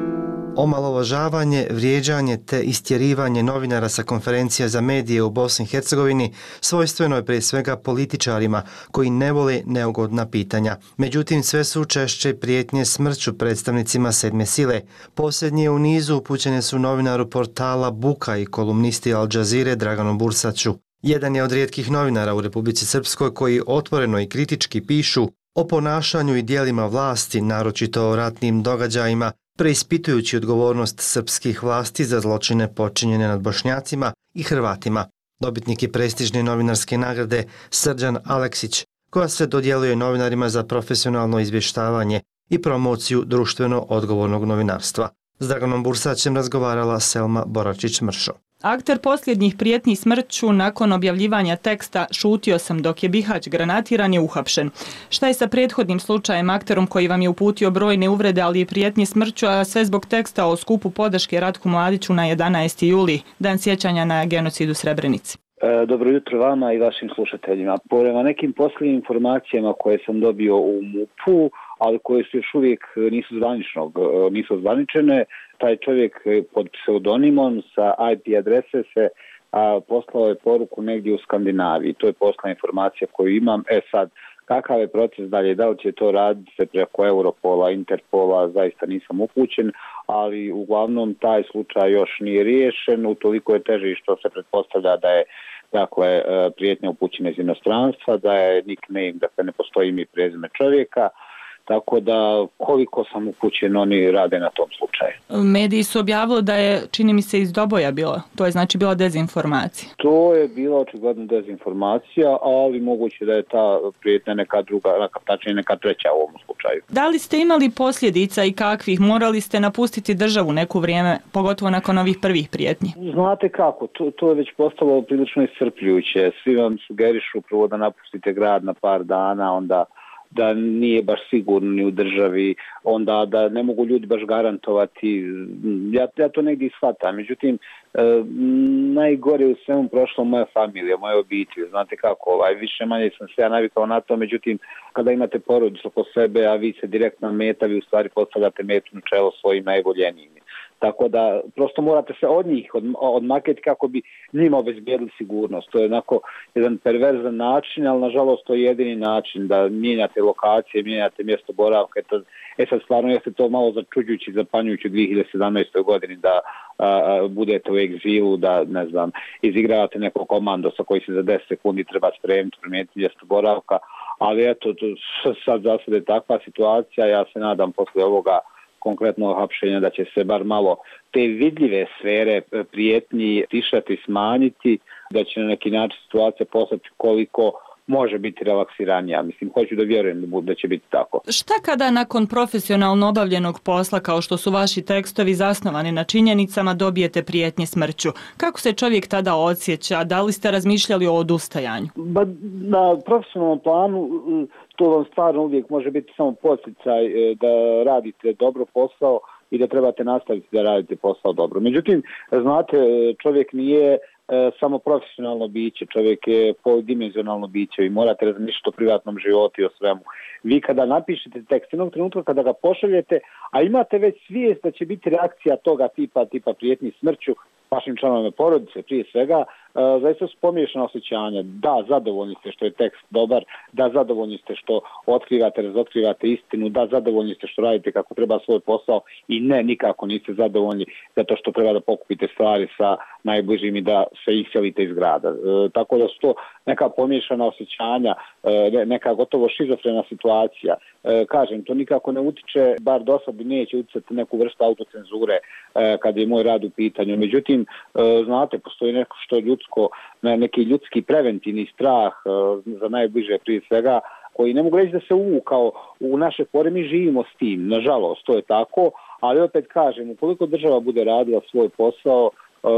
Omalovažavanje, vrijeđanje te istjerivanje novinara sa konferencija za medije u Bosni i Hercegovini svojstveno je prije svega političarima koji ne vole neugodna pitanja. Međutim, sve su češće prijetnje smrću predstavnicima sedme sile. Posljednje u nizu upućene su novinaru portala Buka i kolumnisti Al Jazeere Draganu Bursaću. Jedan je od rijetkih novinara u Republici Srpskoj koji otvoreno i kritički pišu o ponašanju i dijelima vlasti, naročito o ratnim događajima, preispitujući odgovornost srpskih vlasti za zločine počinjene nad Bošnjacima i Hrvatima. Dobitnik je prestižne novinarske nagrade Srđan Aleksić, koja se dodjeljuje novinarima za profesionalno izvještavanje i promociju društveno odgovornog novinarstva. S Draganom Bursaćem razgovarala Selma Boračić-Mršo. Akter posljednjih prijetnji smrću nakon objavljivanja teksta Šutio sam dok je Bihać granatiran je uhapšen. Šta je sa prethodnim slučajem, akterom koji vam je uputio brojne uvrede, ali i prijetnji smrću, a sve zbog teksta o skupu podrške Ratku Mladiću na jedanaesti juli, dan sjećanja na genocid u Srebrenici? E, dobro jutro vama i vašim slušateljima. Prema nekim posljednjim informacijama koje sam dobio u M U P-u, ali koje su još uvijek nisu zvaničnog, nisu zvaničene, taj čovjek pod pseudonimom sa I P adrese se a, poslao je poruku negdje u Skandinaviji. To je posla informacija koju imam. E sad, kakav je proces dalje, da li će to raditi se preko Europola, Interpola, zaista nisam upućen, ali uglavnom taj slučaj još nije riješen, utoliko je teži što se pretpostavlja da je dakle prijetnja upućena iz inostranstva, da je nickname, dakle ne postoji ime i prezime čovjeka. Tako da koliko sam upućen, oni rade na tom slučaju. Mediji su objavili da je, čini mi se, iz Doboja bila. To je znači bila dezinformacija. To je bila očigledno dezinformacija, ali moguće da je ta prijetnja neka druga, tačnije neka treća u ovom slučaju. Da li ste imali posljedica i kakvih? Morali ste napustiti državu neko vrijeme, pogotovo nakon ovih prvih prijetnji? Znate kako, to, to je već postalo prilično iscrpljujuće. Svi vam sugerišu prvo da napustite grad na par dana, onda da nije baš sigurno ni u državi, onda da ne mogu ljudi baš garantovati. Ja, ja to negdje shvatam. Međutim, e, najgore u svemu prošlo moja familija, moja obitelj. Znate kako, ovaj, više manje sam se ja navikao na to, međutim, kada imate porodicu po sebe, a vi se direktno meta, vi u stvari postavljate metu na čelo svojim najboljenijim. Tako da prosto morate se od njih odmaketi kako bi njima obezbijedili sigurnost. To je onako jedan perverzan način, ali nažalost to je jedini način da mijenjate lokacije, mijenjate mjesto boravka. E sad stvarno jeste to malo začuđujući, zapanjujući u dvije hiljade sedamnaestoj godini da a, budete u egzilu, da ne znam, izigravate nekog komandosa koji se za deset sekundi treba spremiti, promijeniti mjesto boravka. Ali eto, to sad za sada je takva situacija, ja se nadam posle ovoga konkretno hapšenja, da će se bar malo te vidljive sfere prijetnji tišati, smanjiti, da će na neki način situacija postati koliko može biti relaksiranija. Mislim, hoću da vjerujem da će biti tako. Šta kada nakon profesionalno obavljenog posla, kao što su vaši tekstovi zasnovani na činjenicama, dobijete prijetnje smrću? Kako se čovjek tada osjeća? Da li ste razmišljali o odustajanju? Ba, na profesionalnom planu to vam stvarno uvijek može biti samo podsticaj da radite dobro posao i da trebate nastaviti da radite posao dobro. Međutim, znate, čovjek nije samo profesionalno biće, čovjek je poldimenzionalno biće i morate razmišljati o privatnom životu i o svemu. Vi kada napišete tekst, jednog trenutka kada ga pošaljete, a imate već svijest da će biti reakcija toga tipa, tipa prijetnji smrću, vašim članovima porodice prije svega, e, zaista su pomiješana osjećanja. Da, zadovoljni ste što je tekst dobar, da, zadovoljni ste što otkrivate, razotkrivate istinu, da, zadovoljni ste što radite kako treba svoj posao i ne, nikako niste zadovoljni zato što treba da pokupite stvari sa najbližim i da se iselite iz grada. E, tako da su to neka pomiješana osjećanja, e, neka gotovo šizofrena situacija. E, kažem, to nikako ne utiče, bar do sad neće uticati neku vrstu autocenzure e, kad je moj rad u pitanju. Međutim, e, znate, postoji neko što je ljudsko, neki ljudski preventivni strah e, za najbliže prije svega, koji ne mogu reći da se uvukao u naše pore, mi živimo s tim, nažalost, to je tako, ali opet kažem, ukoliko država bude radila svoj posao,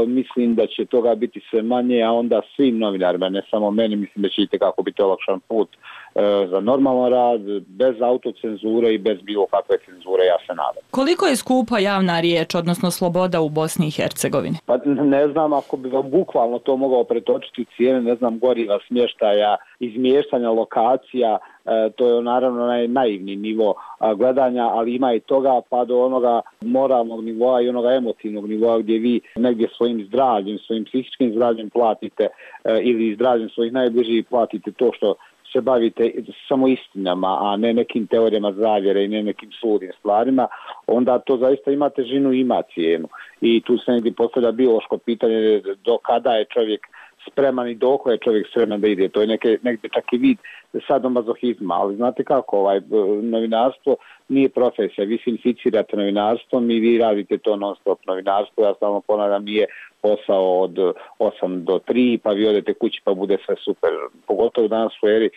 mislim da će toga biti sve manje, a onda svim novinarima, ne samo meni, mislim da će itekako biti olakšan put e, za normalan rad, bez autocenzure i bez bilo kakve cenzure, ja se nadam. Koliko je skupa javna riječ, odnosno sloboda u Bosni i Hercegovini? Pa ne znam, ako bi vam bukvalno to mogao pretočiti cijene, ne znam, goriva, smještaja, izmještanja lokacija, e, to je naravno naj, naivni nivo a, gledanja, ali ima i toga pa do onoga moralnog nivoa i onoga emotivnog nivoa gdje vi negdje svojim zdravljem, svojim psihičkim zdravljem platite e, ili zdravljem svojih najbližih platite to što se bavite samo istinama, a ne nekim teorijama zavjere i ne nekim suludim stvarima, onda to zaista ima težinu i ima cijenu. I tu se negdje postavlja biološko pitanje do kada je čovjek spreman i doko je čovjek spreman da ide. To je neke, negdje čak i vid sadomazohizma, ali znate kako, ovaj, novinarstvo nije profesija, vi se inficirate novinarstvom i vi radite to non stop novinarstvo, ja stalno ponavljam, nije posao od osam do tri, pa vi odete kući pa bude sve super. Pogotovo danas u eri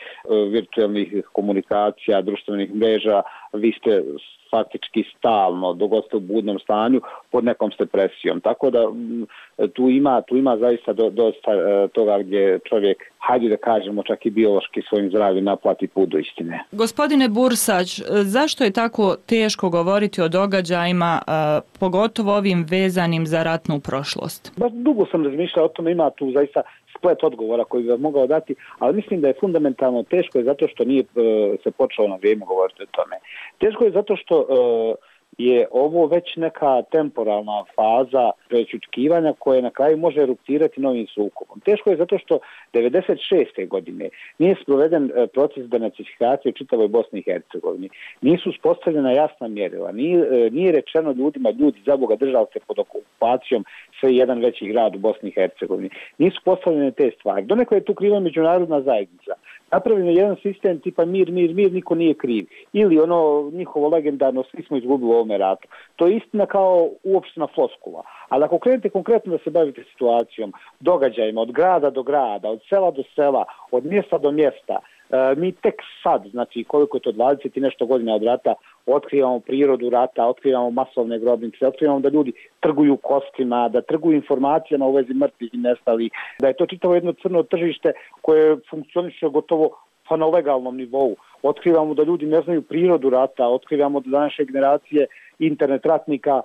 virtualnih komunikacija, društvenih mreža, vi ste faktički stalno, dok ste u budnom stanju, pod nekom ste presijom. Tako da tu ima, tu ima zaista do, dosta toga gdje čovjek, hajde da kažemo, čak i biološki svojim zdravljem naplati put do istine. Gospodine Bursać, zašto je tako teško govoriti o događajima, pogotovo ovim vezanim za ratnu prošlost? Baš dugo sam razmišljao o tome, ima tu zaista splet odgovora koji bi vam mogao dati, ali mislim da je fundamentalno teško je zato što nije e, se počelo na vrijeme govoriti o tome. Teško je zato što e, je ovo već neka temporalna faza prečučkivanja koje na kraju može eruptirati novim sukobom. Teško je zato što devedeset šeste godine nije sproveden proces denacifikacije u čitavoj Bosni i Hercegovini. Nisu uspostavljena jasna mjerila. Nije, nije rečeno ljudima, ljudi, za Boga, držali se pod okupacijom sve jedan veći grad u Bosni i Hercegovini. Nisu postavljene te stvari. Donekle je tu kriva međunarodna zajednica. Napravljeno je jedan sistem tipa mir, mir, mir, niko nije kriv. Ili ono njihovo legendarno, svi smo izgubili u ovome ratu. To je istina kao uopštena floskula. Ali ako krenete konkretno da se bavite situacijom, događajima, od grada do grada, od sela do sela, od mjesta do mjesta, e, mi tek sad, znači koliko je to dvadeset i nešto godina od rata, otkrivamo prirodu rata, otkrivamo masovne grobnice, otkrivamo da ljudi trguju kostima, da trguju informacijama u vezi mrtvih i nestalih, da je to čitavo jedno crno tržište koje funkcioniše gotovo pa na legalnom nivou. Otkrivamo da ljudi ne znaju prirodu rata, otkrivamo da današnje generacije internet ratnika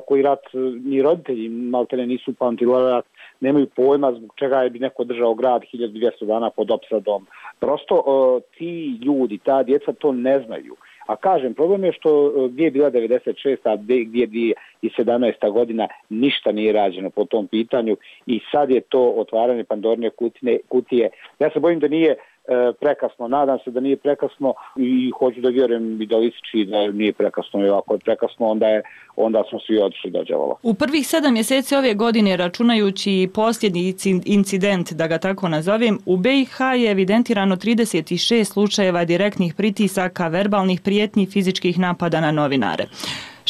koji rat ni roditelji maltene nisu pamtili rat, nemaju pojma zbog čega je bi neko držao grad hiljadu dvjesto dana pod opsadom. Prosto ti ljudi, ta djeca to ne znaju. A kažem, problem je što gdje je bila devedeset šesta, gdje je dvije tisuće sedamnaesta godina, ništa nije rađeno po tom pitanju i sad je to otvaranje Pandorine kutije. Ja se bojim da nije prekasno, nadam se da nije prekasno i hoću da vjerujem i da lističi da nije prekasno i ako je prekasno onda, je, onda smo svi otišli do đavola. U prvih sedam mjeseci ove godine, računajući posljednji incident, da ga tako nazovem, u B i H je evidentirano trideset šest slučajeva direktnih pritisaka, verbalnih prijetnji, fizičkih napada na novinare.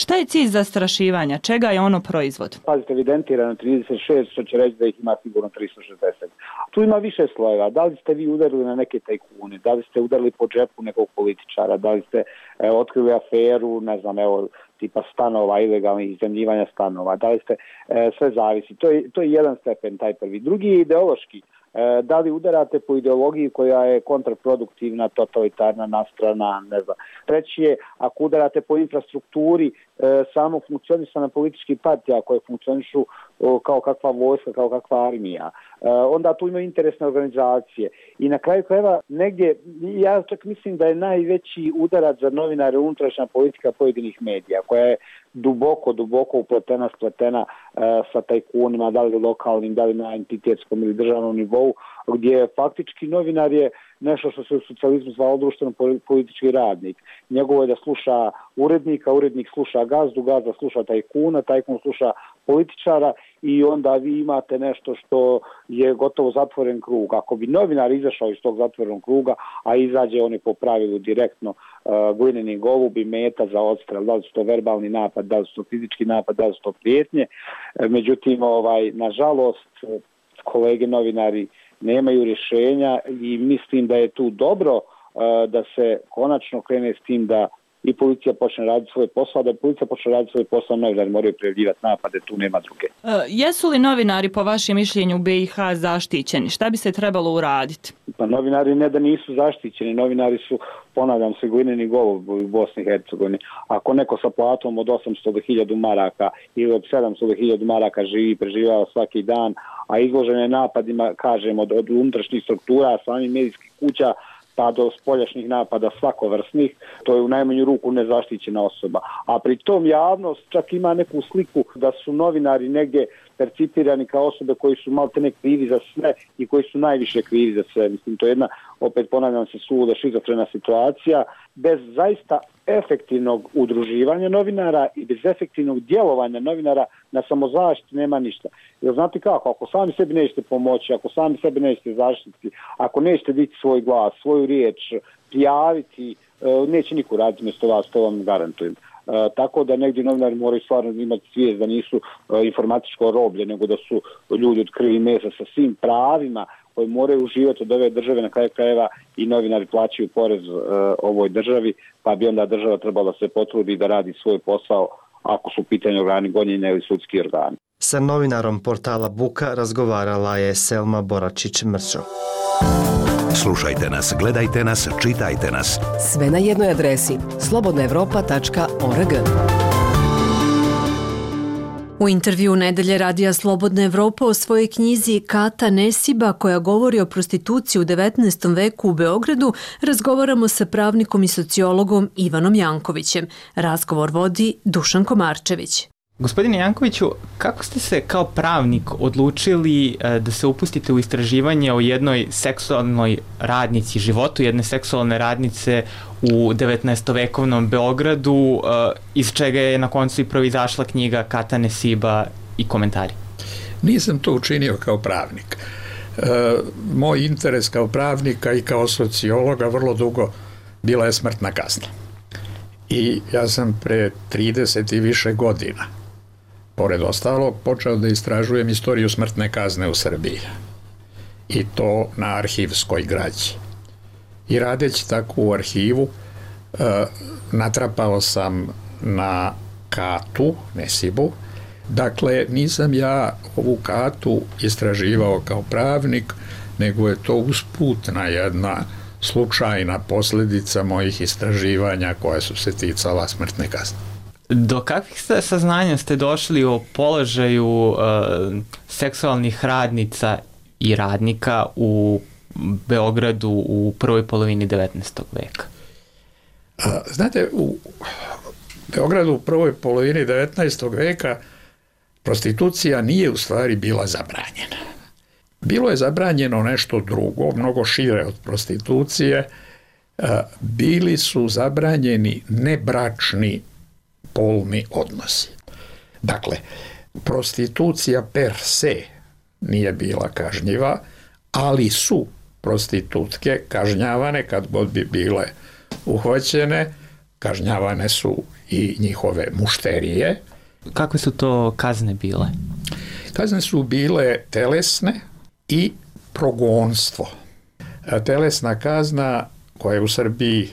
Šta je cilj zastrašivanja? Čega je ono proizvod? Pazite, evidentirano trideset šest, što će reći da ih ima sigurno tristo šezdeset. Tu ima više slojeva. Da li ste vi udarili na neke tajkune? Da li ste udarili po džepu nekog političara? Da li ste e, otkrili aferu, ne znam, evo, tipa stanova, ilegalnih iznajmljivanja stanova? Da li ste, e, sve zavisi. To je, to je jedan stepen, taj prvi. Drugi je ideološki. E, da li udarate po ideologiji koja je kontraproduktivna, totalitarna, nastrana, ne znam. Treći je, ako udarate po infrastrukturi e, samog funkcionisanja političkih partija koje funkcionišu o, kao kakva vojska, kao kakva armija, e, onda tu imaju interesne organizacije. I na kraju krajeva negdje, ja čak mislim da je najveći udarac za novinare unutrašnja politika pojedinih medija, koja je duboko, duboko upletena, spletena e, sa tajkunima, da li lokalnim, da li na entitetskom ili državnom nivou, gdje faktički novinar je nešto što se u socijalizmu zvalo društveno politički radnik. Njegovo je da sluša urednika, urednik sluša gazdu, gazda sluša tajkuna, tajkun sluša političara i onda vi imate nešto što je gotovo zatvoren krug. Ako bi novinar izašao iz tog zatvorenog kruga, a izađe on je po pravilu direktno uh, glineni golub i meta za odstrel, da li su to verbalni napad, da li su to fizički napad, da li su to prijetnje. E, međutim, ovaj, nažalost, kolege novinari nemaju rješenja i mislim da je tu dobro uh, da se konačno krene s tim da i policija počne raditi svoj posao, da policija počne raditi svoj posao, novinari moraju prijavljivati napade, tu nema druge. Uh, jesu li novinari po vašem mišljenju u be i ha zaštićeni? Šta bi se trebalo uraditi? Pa novinari ne da nisu zaštićeni, novinari su, ponavljam se, glineni golub u Bosni i Hercegovini. Ako neko sa platom od osamsto do hiljadu maraka ili od sedamsto do hiljadu maraka živi i preživljava svaki dan, a izložene napadima, kažemo, od, od unutrašnjih struktura, samih medijskih kuća, pa do spoljašnjih napada svakovrsnih, to je u najmanju ruku nezaštićena osoba. A pri tom javnost čak ima neku sliku da su novinari negdje percipirani kao osobe koji su maltene krivi za sve i koji su najviše krivi za sve. Mislim, to je jedna, opet ponavljam se, suluda šizofrena situacija. Bez zaista efektivnog udruživanja novinara i bez efektivnog djelovanja novinara na samozaštiti nema ništa. Jer znate kako, ako sami sebi nećete pomoći, ako sami sebi nećete zaštiti, ako nećete dići svoj glas, svoju riječ, prijaviti, neće niko raditi mjesto vas, to vam garantujem. Uh, tako da negdje novinari moraju stvarno imati svijest da nisu uh, informatičko roblje, nego da su ljudi od krvi i mesa sa svim pravima koji moraju uživati od ove države, na kraju krajeva i novinari plaćaju porez uh, ovoj državi, pa bi onda država trebala se potrudi da radi svoj posao ako su u pitanju organi gonjenja ili sudski organi. Sa novinarom portala Buka razgovarala je Selma Boračić-Mrčo. Slušajte nas, gledajte nas, čitajte nas. Sve na jednoj adresi slobodna evropa tačka org. U intervju Nedelje radija Slobodna Evropa o svojoj knjizi Kata Nesiba, koja govori o prostituciji u devetnaestom veku u Beogradu, razgovaramo sa pravnikom i sociologom Ivanom Jankovićem. Razgovor vodi Dušan Komarčević. Gospodine Jankoviću, kako ste se kao pravnik odlučili da se upustite u istraživanje o jednoj seksualnoj radnici, životu jedne seksualne radnice u devetnaestovekovnom Beogradu, iz čega je na koncu i proizašla knjiga Kata Nesiba i komentari? Nisam to učinio kao pravnik. E, moj interes kao pravnika i kao sociologa vrlo dugo bila je smrtna kazna. I ja sam pre trideset i više godina, pored ostalog, počeo da istražujem istoriju smrtne kazne u Srbiji. I to na arhivskoj građi. I radeći tako u arhivu, e, natrapao sam na Katu Nesibu. Dakle, nisam ja ovu Katu istraživao kao pravnik, nego je to usputna jedna slučajna posljedica mojih istraživanja koja su se ticala smrtne kazne. Do kakvih saznanja ste došli o položaju uh, seksualnih radnica i radnika u Beogradu u prvoj polovini devetnaestog veka? A, znate, u Beogradu u prvoj polovini devetnaestog veka prostitucija nije u stvari bila zabranjena. Bilo je zabranjeno nešto drugo, mnogo šire od prostitucije. Bili su zabranjeni nebračni polni odnosi. Dakle, prostitucija per se nije bila kažnjiva, ali su prostitutke kažnjavane kad god bi bile uhvaćene kažnjavane su i njihove mušterije. Kakve su to kazne bile? Kazne su bile telesne i progonstvo. Telesna kazna koja je u Srbiji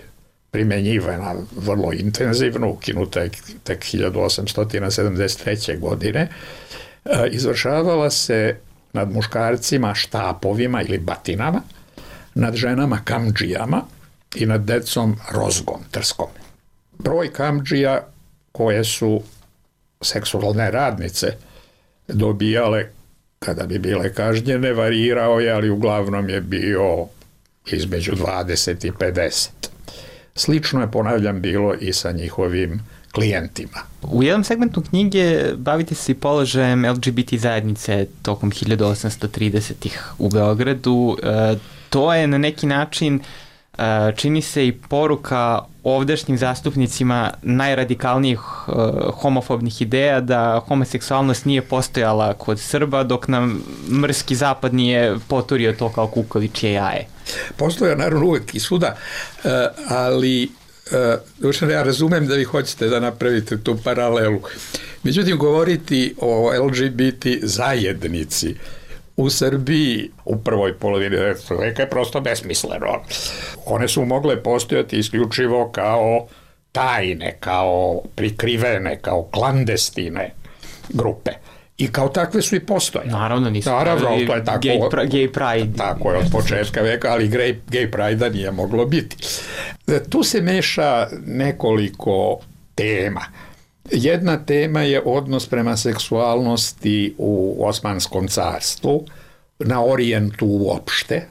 primjenjivana vrlo intenzivno, ukinuta je tek hiljadu osamsto sedamdeset treće. godine, izvršavala se nad muškarcima štapovima ili batinama, nad ženama kamdžijama i nad decom rozgom, trskom. Broj kamdžija koje su seksualne radnice dobijale kada bi bile kažnjene varirao je, ali uglavnom je bio između dvadeset i pedeset. Slično je, ponavljam, bilo i sa njihovim klijentima. U jednom segmentu knjige bavite se i položajem L G B T zajednice tokom hiljadu osamsto tridesetih u Beogradu. E, to je na neki način, e, čini se, i poruka ovdašnjim zastupnicima najradikalnijih e, homofobnih ideja da homoseksualnost nije postojala kod Srba, dok nam mrski zapad nije poturio to kao kukavičje jaje. Postoja naravno uvek i svuda, ali uh, ja razumem da vi hoćete da napravite tu paralelu. Međutim, govoriti o L G B T zajednici u Srbiji u prvoj polovini devetnaestog veka je prosto besmisleno. One su mogle postojati isključivo kao tajne, kao prikrivene, kao klandestine grupe. I kao takve su i postojale. Naravno, nisu Naravno, to je tako, gay, pra, gay pride. Tako je od početka veka, ali gay, gay pride-a nije moglo biti. Tu se meša nekoliko tema. Jedna tema je odnos prema seksualnosti u Osmanskom carstvu, na Orijentu uopšte.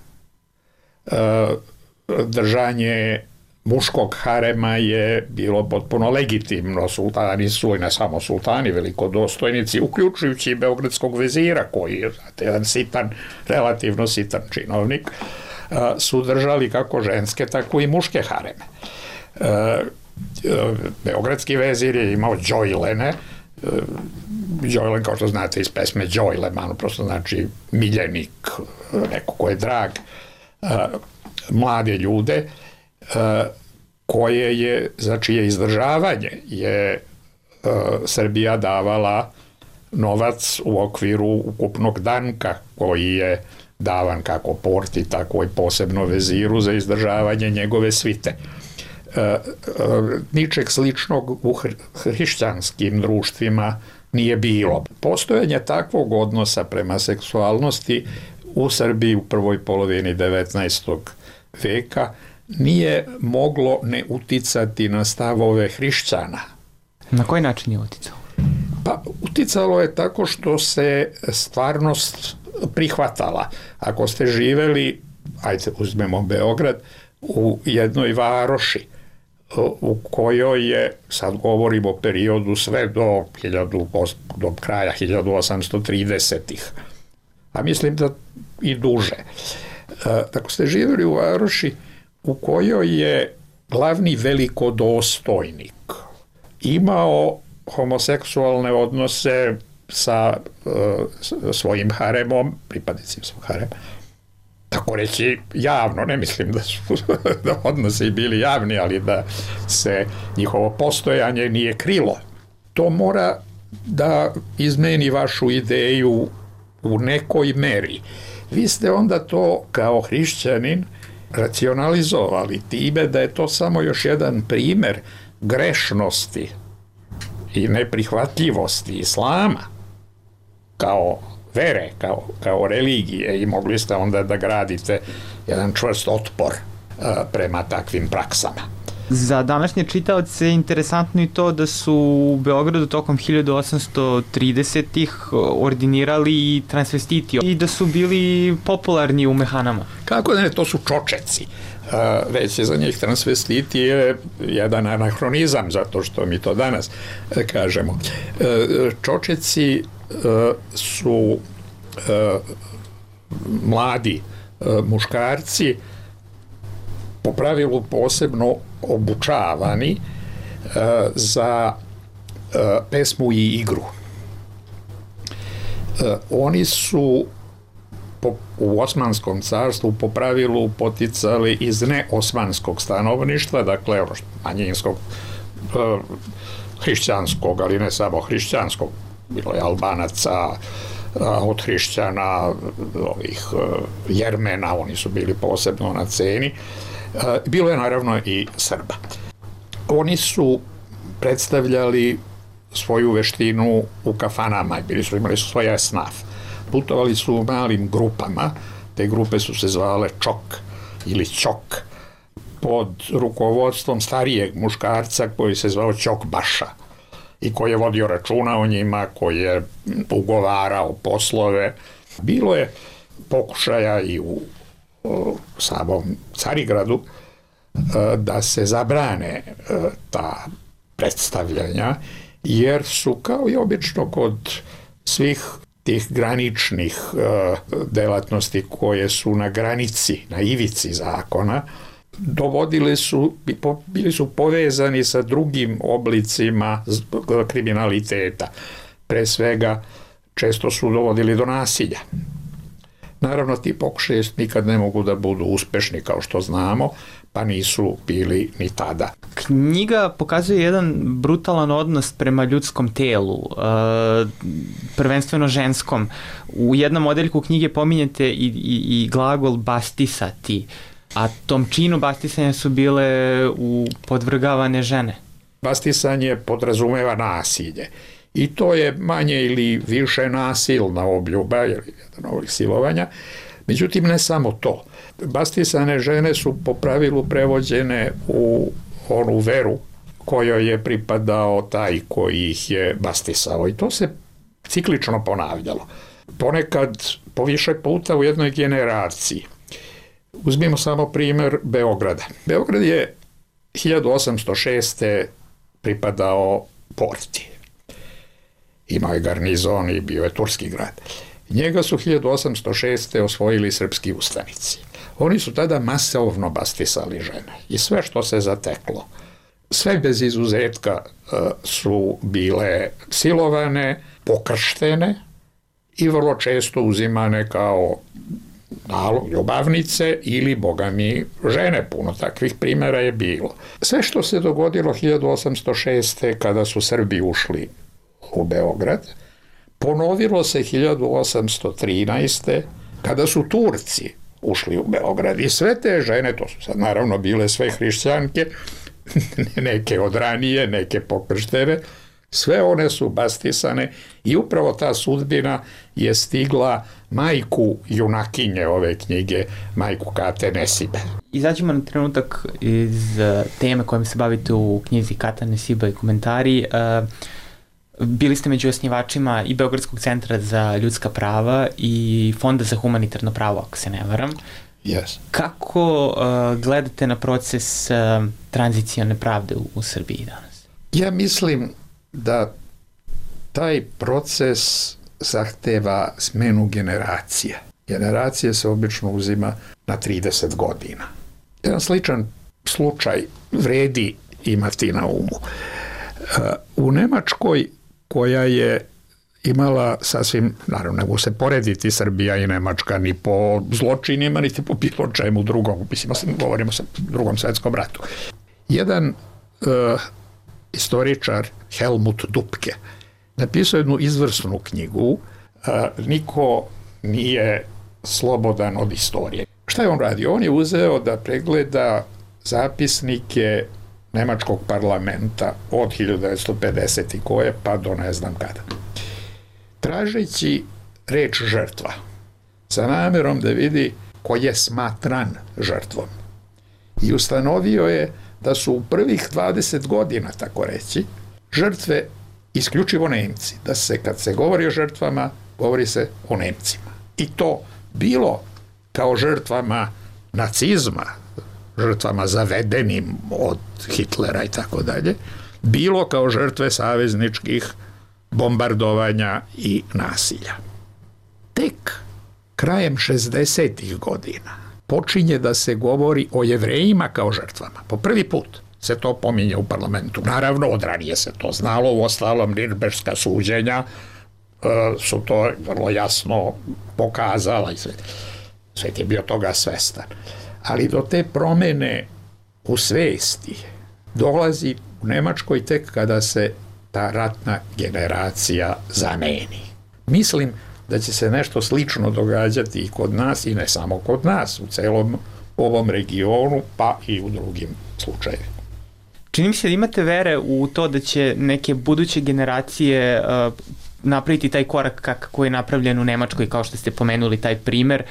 Držanje muškog harema je bilo potpuno legitimno. Sultani su, i ne samo sultani, velikodostojnici, uključujući i beogradskog vezira, koji je jedan sitan, relativno sitan činovnik, su držali kako ženske, tako i muške hareme. Beogradski vezir je imao džojlene. Džojlen, kao što znate iz pesme Džojleman, prosto znači miljenik, neko ko je drag, mlade ljude, koje je, za čije izdržavanje je uh, Srbija davala novac u okviru ukupnog danka koji je davan kako porti, tako i posebno veziru za izdržavanje njegove svite. Uh, uh, ničeg sličnog u hr- hrišćanskim društvima nije bilo. Postojanje takvog odnosa prema seksualnosti u Srbiji u prvoj polovini devetnaestog veka nije moglo ne uticati na stavove hrišćana. Na koji način je uticalo? Pa uticalo je tako što se stvarnost prihvatala. Ako ste živeli, ajde uzmemo Beograd, u jednoj varoši u kojoj je, sad govorimo o periodu sve do, hiljadu, do kraja hiljadu osamsto tridesetih, a mislim da i duže. Ako ste živeli u varoši u kojoj je glavni velikodostojnik imao homoseksualne odnose sa uh, svojim haremom, pripadnicima svog harema, tako reći javno, ne mislim da su da odnosi bili javni, ali da se njihovo postojanje nije krilo. To mora da izmeni vašu ideju u nekoj meri. Vi ste onda to kao hrišćanin racionalizovali time da je to samo još jedan primer grešnosti i neprihvatljivosti islama kao vere, kao, kao religije, i mogli ste onda da gradite jedan čvrst otpor uh, prema takvim praksama. Za današnje čitaoce je interesantno i to da su u Beogradu tokom hiljadu osamsto tridesetih ordinirali i transvestiti i da su bili popularni u mehanama. Kako da ne, to su čočeci. Uh, već je za njih transvestiti je jedan anahronizam, zato što mi to danas uh, kažemo. Uh, čočeci uh, su uh, mladi uh, muškarci, po pravilu posebno obučavani uh, za uh, pesmu i igru. Uh, oni su po, u Osmanskom carstvu po pravilu poticali iz neosmanskog stanovništva, dakle manjinskog, e, hrišćanskog, ali ne samo hrišćanskog, bilo je Albanaca, od hrišćana, ovih Jermena, oni su bili posebno na ceni. Bilo je naravno i Srba. Oni su predstavljali svoju veštinu u kafanama, bili su, imali su svoj esnaf. Putovali su u malim grupama, te grupe su se zvale čok ili ćok, pod rukovodstvom starijeg muškarca koji se zvao Ćokbaša i koji je vodio računa o njima, koji je ugovarao poslove. Bilo je pokušaja i u o, samom Carigradu da se zabrane ta predstavljanja, jer su, kao i obično kod svih tih graničnih delatnosti koje su na granici, na ivici zakona, dovodili su, bili su povezani sa drugim oblicima kriminaliteta. Pre svega, često su dovodili do nasilja. Naravno, ti pokušaji nikad ne mogu da budu uspešni, kao što znamo, pa nisu bili ni tada. Knjiga pokazuje jedan brutalan odnos prema ljudskom telu, prvenstveno ženskom. U jednom odeljku knjige pominjete i, i, i glagol bastisati, a tom činu bastisanja su bile u podvrgavane žene. Bastisanje podrazumeva nasilje. I to je manje ili više nasilna obljuba, ili jedan ovih silovanja. Međutim, ne samo to. Bastisane žene su po pravilu prevođene u onu veru kojoj je pripadao taj koji ih je bastisao. I to se ciklično ponavljalo. Ponekad po više puta u jednoj generaciji. Uzmimo samo primjer Beograda. Beograd je hiljadu osamsto šeste pripadao Porti. Imao je garnizon i bio je turski grad. Njega su hiljadu osamsto šeste osvojili srpski ustanici. Oni su tada masovno bastisali žene i sve što se zateklo. Sve bez izuzetka su bile silovane, pokrštene i vrlo često uzimane kao ljubavnice ili, boga mi, žene. Puno takvih primjera je bilo. Sve što se dogodilo hiljadu osamsto šeste kada su Srbi ušli u Beograd, ponovilo se hiljadu osamsto trinaeste kada su Turci ušli u Beograd i sve te žene, to su sad naravno bile sve hrišćanke, neke od ranije, neke pokrštene, sve one su bastisane i upravo ta sudbina je stigla majku junakinje ove knjige, majku Kate Nesibe. Izađemo na trenutak iz teme kojom se bavite u knjizi Kata Nesiba i komentari. Bili ste među osnivačima i Beogradskog centra za ljudska prava i Fonda za humanitarno pravo, ako se ne varam. Yes. Kako uh, gledate na proces uh, tranzicione pravde u, u Srbiji danas? Ja mislim da taj proces zahteva smenu generacija. Generacije se obično uzima na trideset godina. Jedan sličan slučaj vredi imati na umu. U Nemačkoj, koja je imala sasvim, naravno ne mogu se porediti Srbija i Nemačka ni po zločinima, niti po bilo čemu drugom, mislim, govorimo o drugom svetskom ratu. Jedan uh, istoričar, Helmut Dupke, napisao jednu izvrsnu knjigu, uh, Niko nije slobodan od istorije. Šta je on radio? On je uzeo da pregleda zapisnike Nemačkog parlamenta od hiljadu devetsto pedeset koje pa do ne znam kada. Tražeći reč žrtva, sa namjerom da vidi ko je smatran žrtvom. I ustanovio je da su u prvih dvadeset godina, tako reći, žrtve isključivo Nemci. Da se, kad se govori o žrtvama, govori se o Nemcima. I to bilo kao žrtvama nacizma, žrtvama zavedenim od Hitlera i tako dalje, bilo kao žrtve savezničkih bombardovanja i nasilja. Tek krajem šezdesetih godina počinje da se govori o Jevrejima kao žrtvama. Po prvi put se to pominje u parlamentu. Naravno, od ranije se to znalo, u ostalom Nirnberška suđenja su to vrlo jasno pokazala i svet, svet je bio toga svestan. Ali do te promene u svesti dolazi u Nemačkoj tek kada se ta ratna generacija zameni. Mislim da će se nešto slično događati i kod nas, i ne samo kod nas, u celom ovom regionu, pa i u drugim slučajevima. Čini mi se da imate vere u to da će neke buduće generacije uh, napraviti taj korak kako je napravljen u Nemačkoj, kao što ste pomenuli taj primer,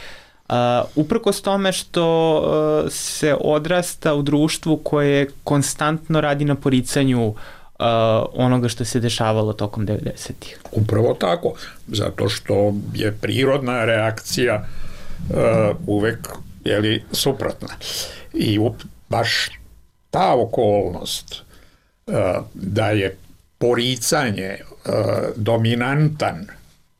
uh, uprkos tome što uh, se odrasta u društvu koje konstantno radi na poricanju uh, onoga što se dešavalo tokom devedesetih. Upravo tako, zato što je prirodna reakcija uh, uvek jeli, suprotna. I up, baš ta okolnost uh, da je poricanje uh, dominantan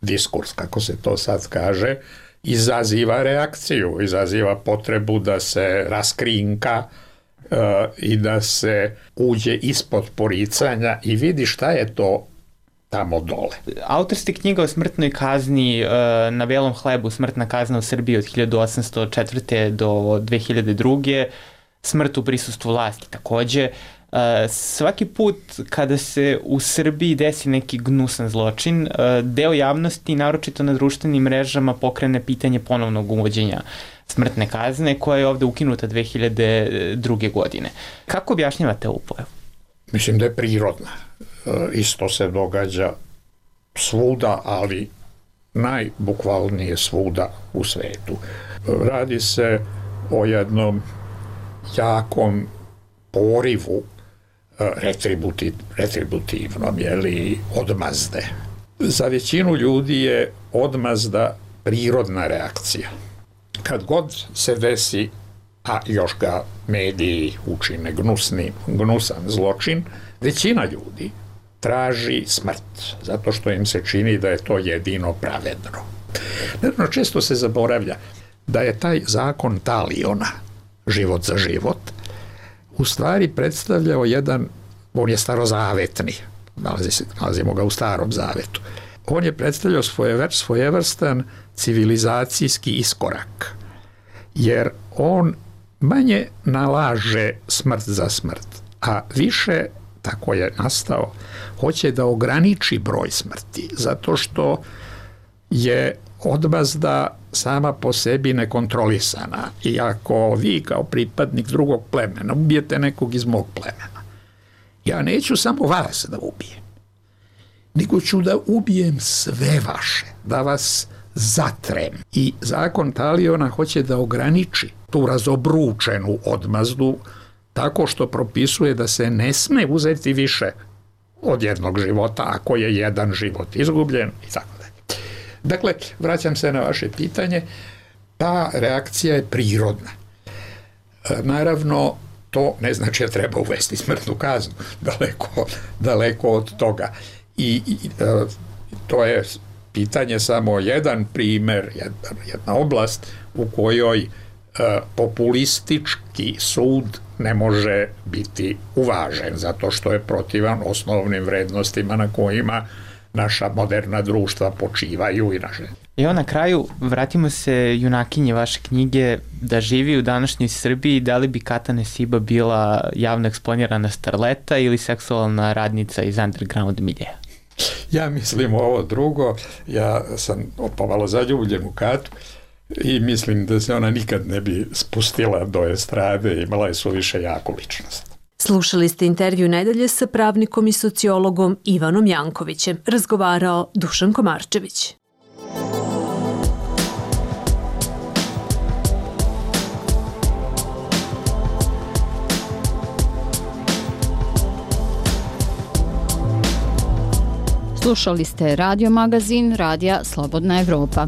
diskurs, kako se to sad kaže, izaziva reakciju, izaziva potrebu da se raskrinka uh, i da se uđe ispod poricanja i vidi šta je to tamo dole. Autor ste knjiga o smrtnoj kazni uh, na belom hlebu, smrtna kazna u Srbiji od hiljadu osamsto četvrte do dve hiljade druge. Smrt u prisustvu vlasti takođe. Uh, svaki put kada se u Srbiji desi neki gnusan zločin, uh, deo javnosti, naročito na društvenim mrežama, pokrene pitanje ponovnog uvođenja smrtne kazne, koja je ovde ukinuta dve hiljade druge. godine. Kako objašnjavate ovu pojavu? Mislim da je prirodna. Uh, isto se događa svuda, ali najbukvalnije svuda u svetu. Uh, radi se o jednom jakom porivu retributiv, retributivnom, jeli, odmazde. Za većinu ljudi je odmazda prirodna reakcija. Kad god se desi, a još ga mediji učine gnusni, gnusan zločin, većina ljudi traži smrt, zato što im se čini da je to jedino pravedno. Naravno, često se zaboravlja da je taj zakon Taliona, život za život, u stvari predstavljao jedan, on je starozavetni, nalazi se, nalazimo ga u Starom zavetu, on je predstavljao svoje, svojevrstan civilizacijski iskorak, jer on manje nalaže smrt za smrt, a više, tako je nastao, hoće da ograniči broj smrti, zato što je odmazda sama po sebi nekontrolisana. I ako vi kao pripadnik drugog plemena ubijete nekog iz mog plemena, ja neću samo vas da ubijem, nego ću da ubijem sve vaše, da vas zatrem. I zakon Taliona hoće da ograniči tu razobručenu odmazdu tako što propisuje da se ne sme uzeti više od jednog života ako je jedan život izgubljen i tako. Dakle, vraćam se na vaše pitanje, ta reakcija je prirodna. E, naravno, to ne znači da treba uvesti smrtnu kaznu, daleko, daleko od toga. I, i e, to je pitanje samo jedan primer, jedna, jedna oblast u kojoj e, populistički sud ne može biti uvažen, zato što je protivan osnovnim vrednostima na kojima naša moderna društva počivaju i naše. Evo na kraju, vratimo se junakinje vaše knjige, da živi u današnjoj Srbiji, da li bi Kata Nesiba bila javno eksponirana starleta ili seksualna radnica iz underground miljeja? Ja mislim ovo drugo, ja sam pomalo zaljubljen u Katu i mislim da se ona nikad ne bi spustila do estrade, imala je suviše jaku ličnost. Slušali ste intervju nedelje sa pravnikom i sociologom Ivanom Jankovićem. Razgovarao Dušan Komarčević. Slušali ste radio magazin Radija Slobodna Evropa.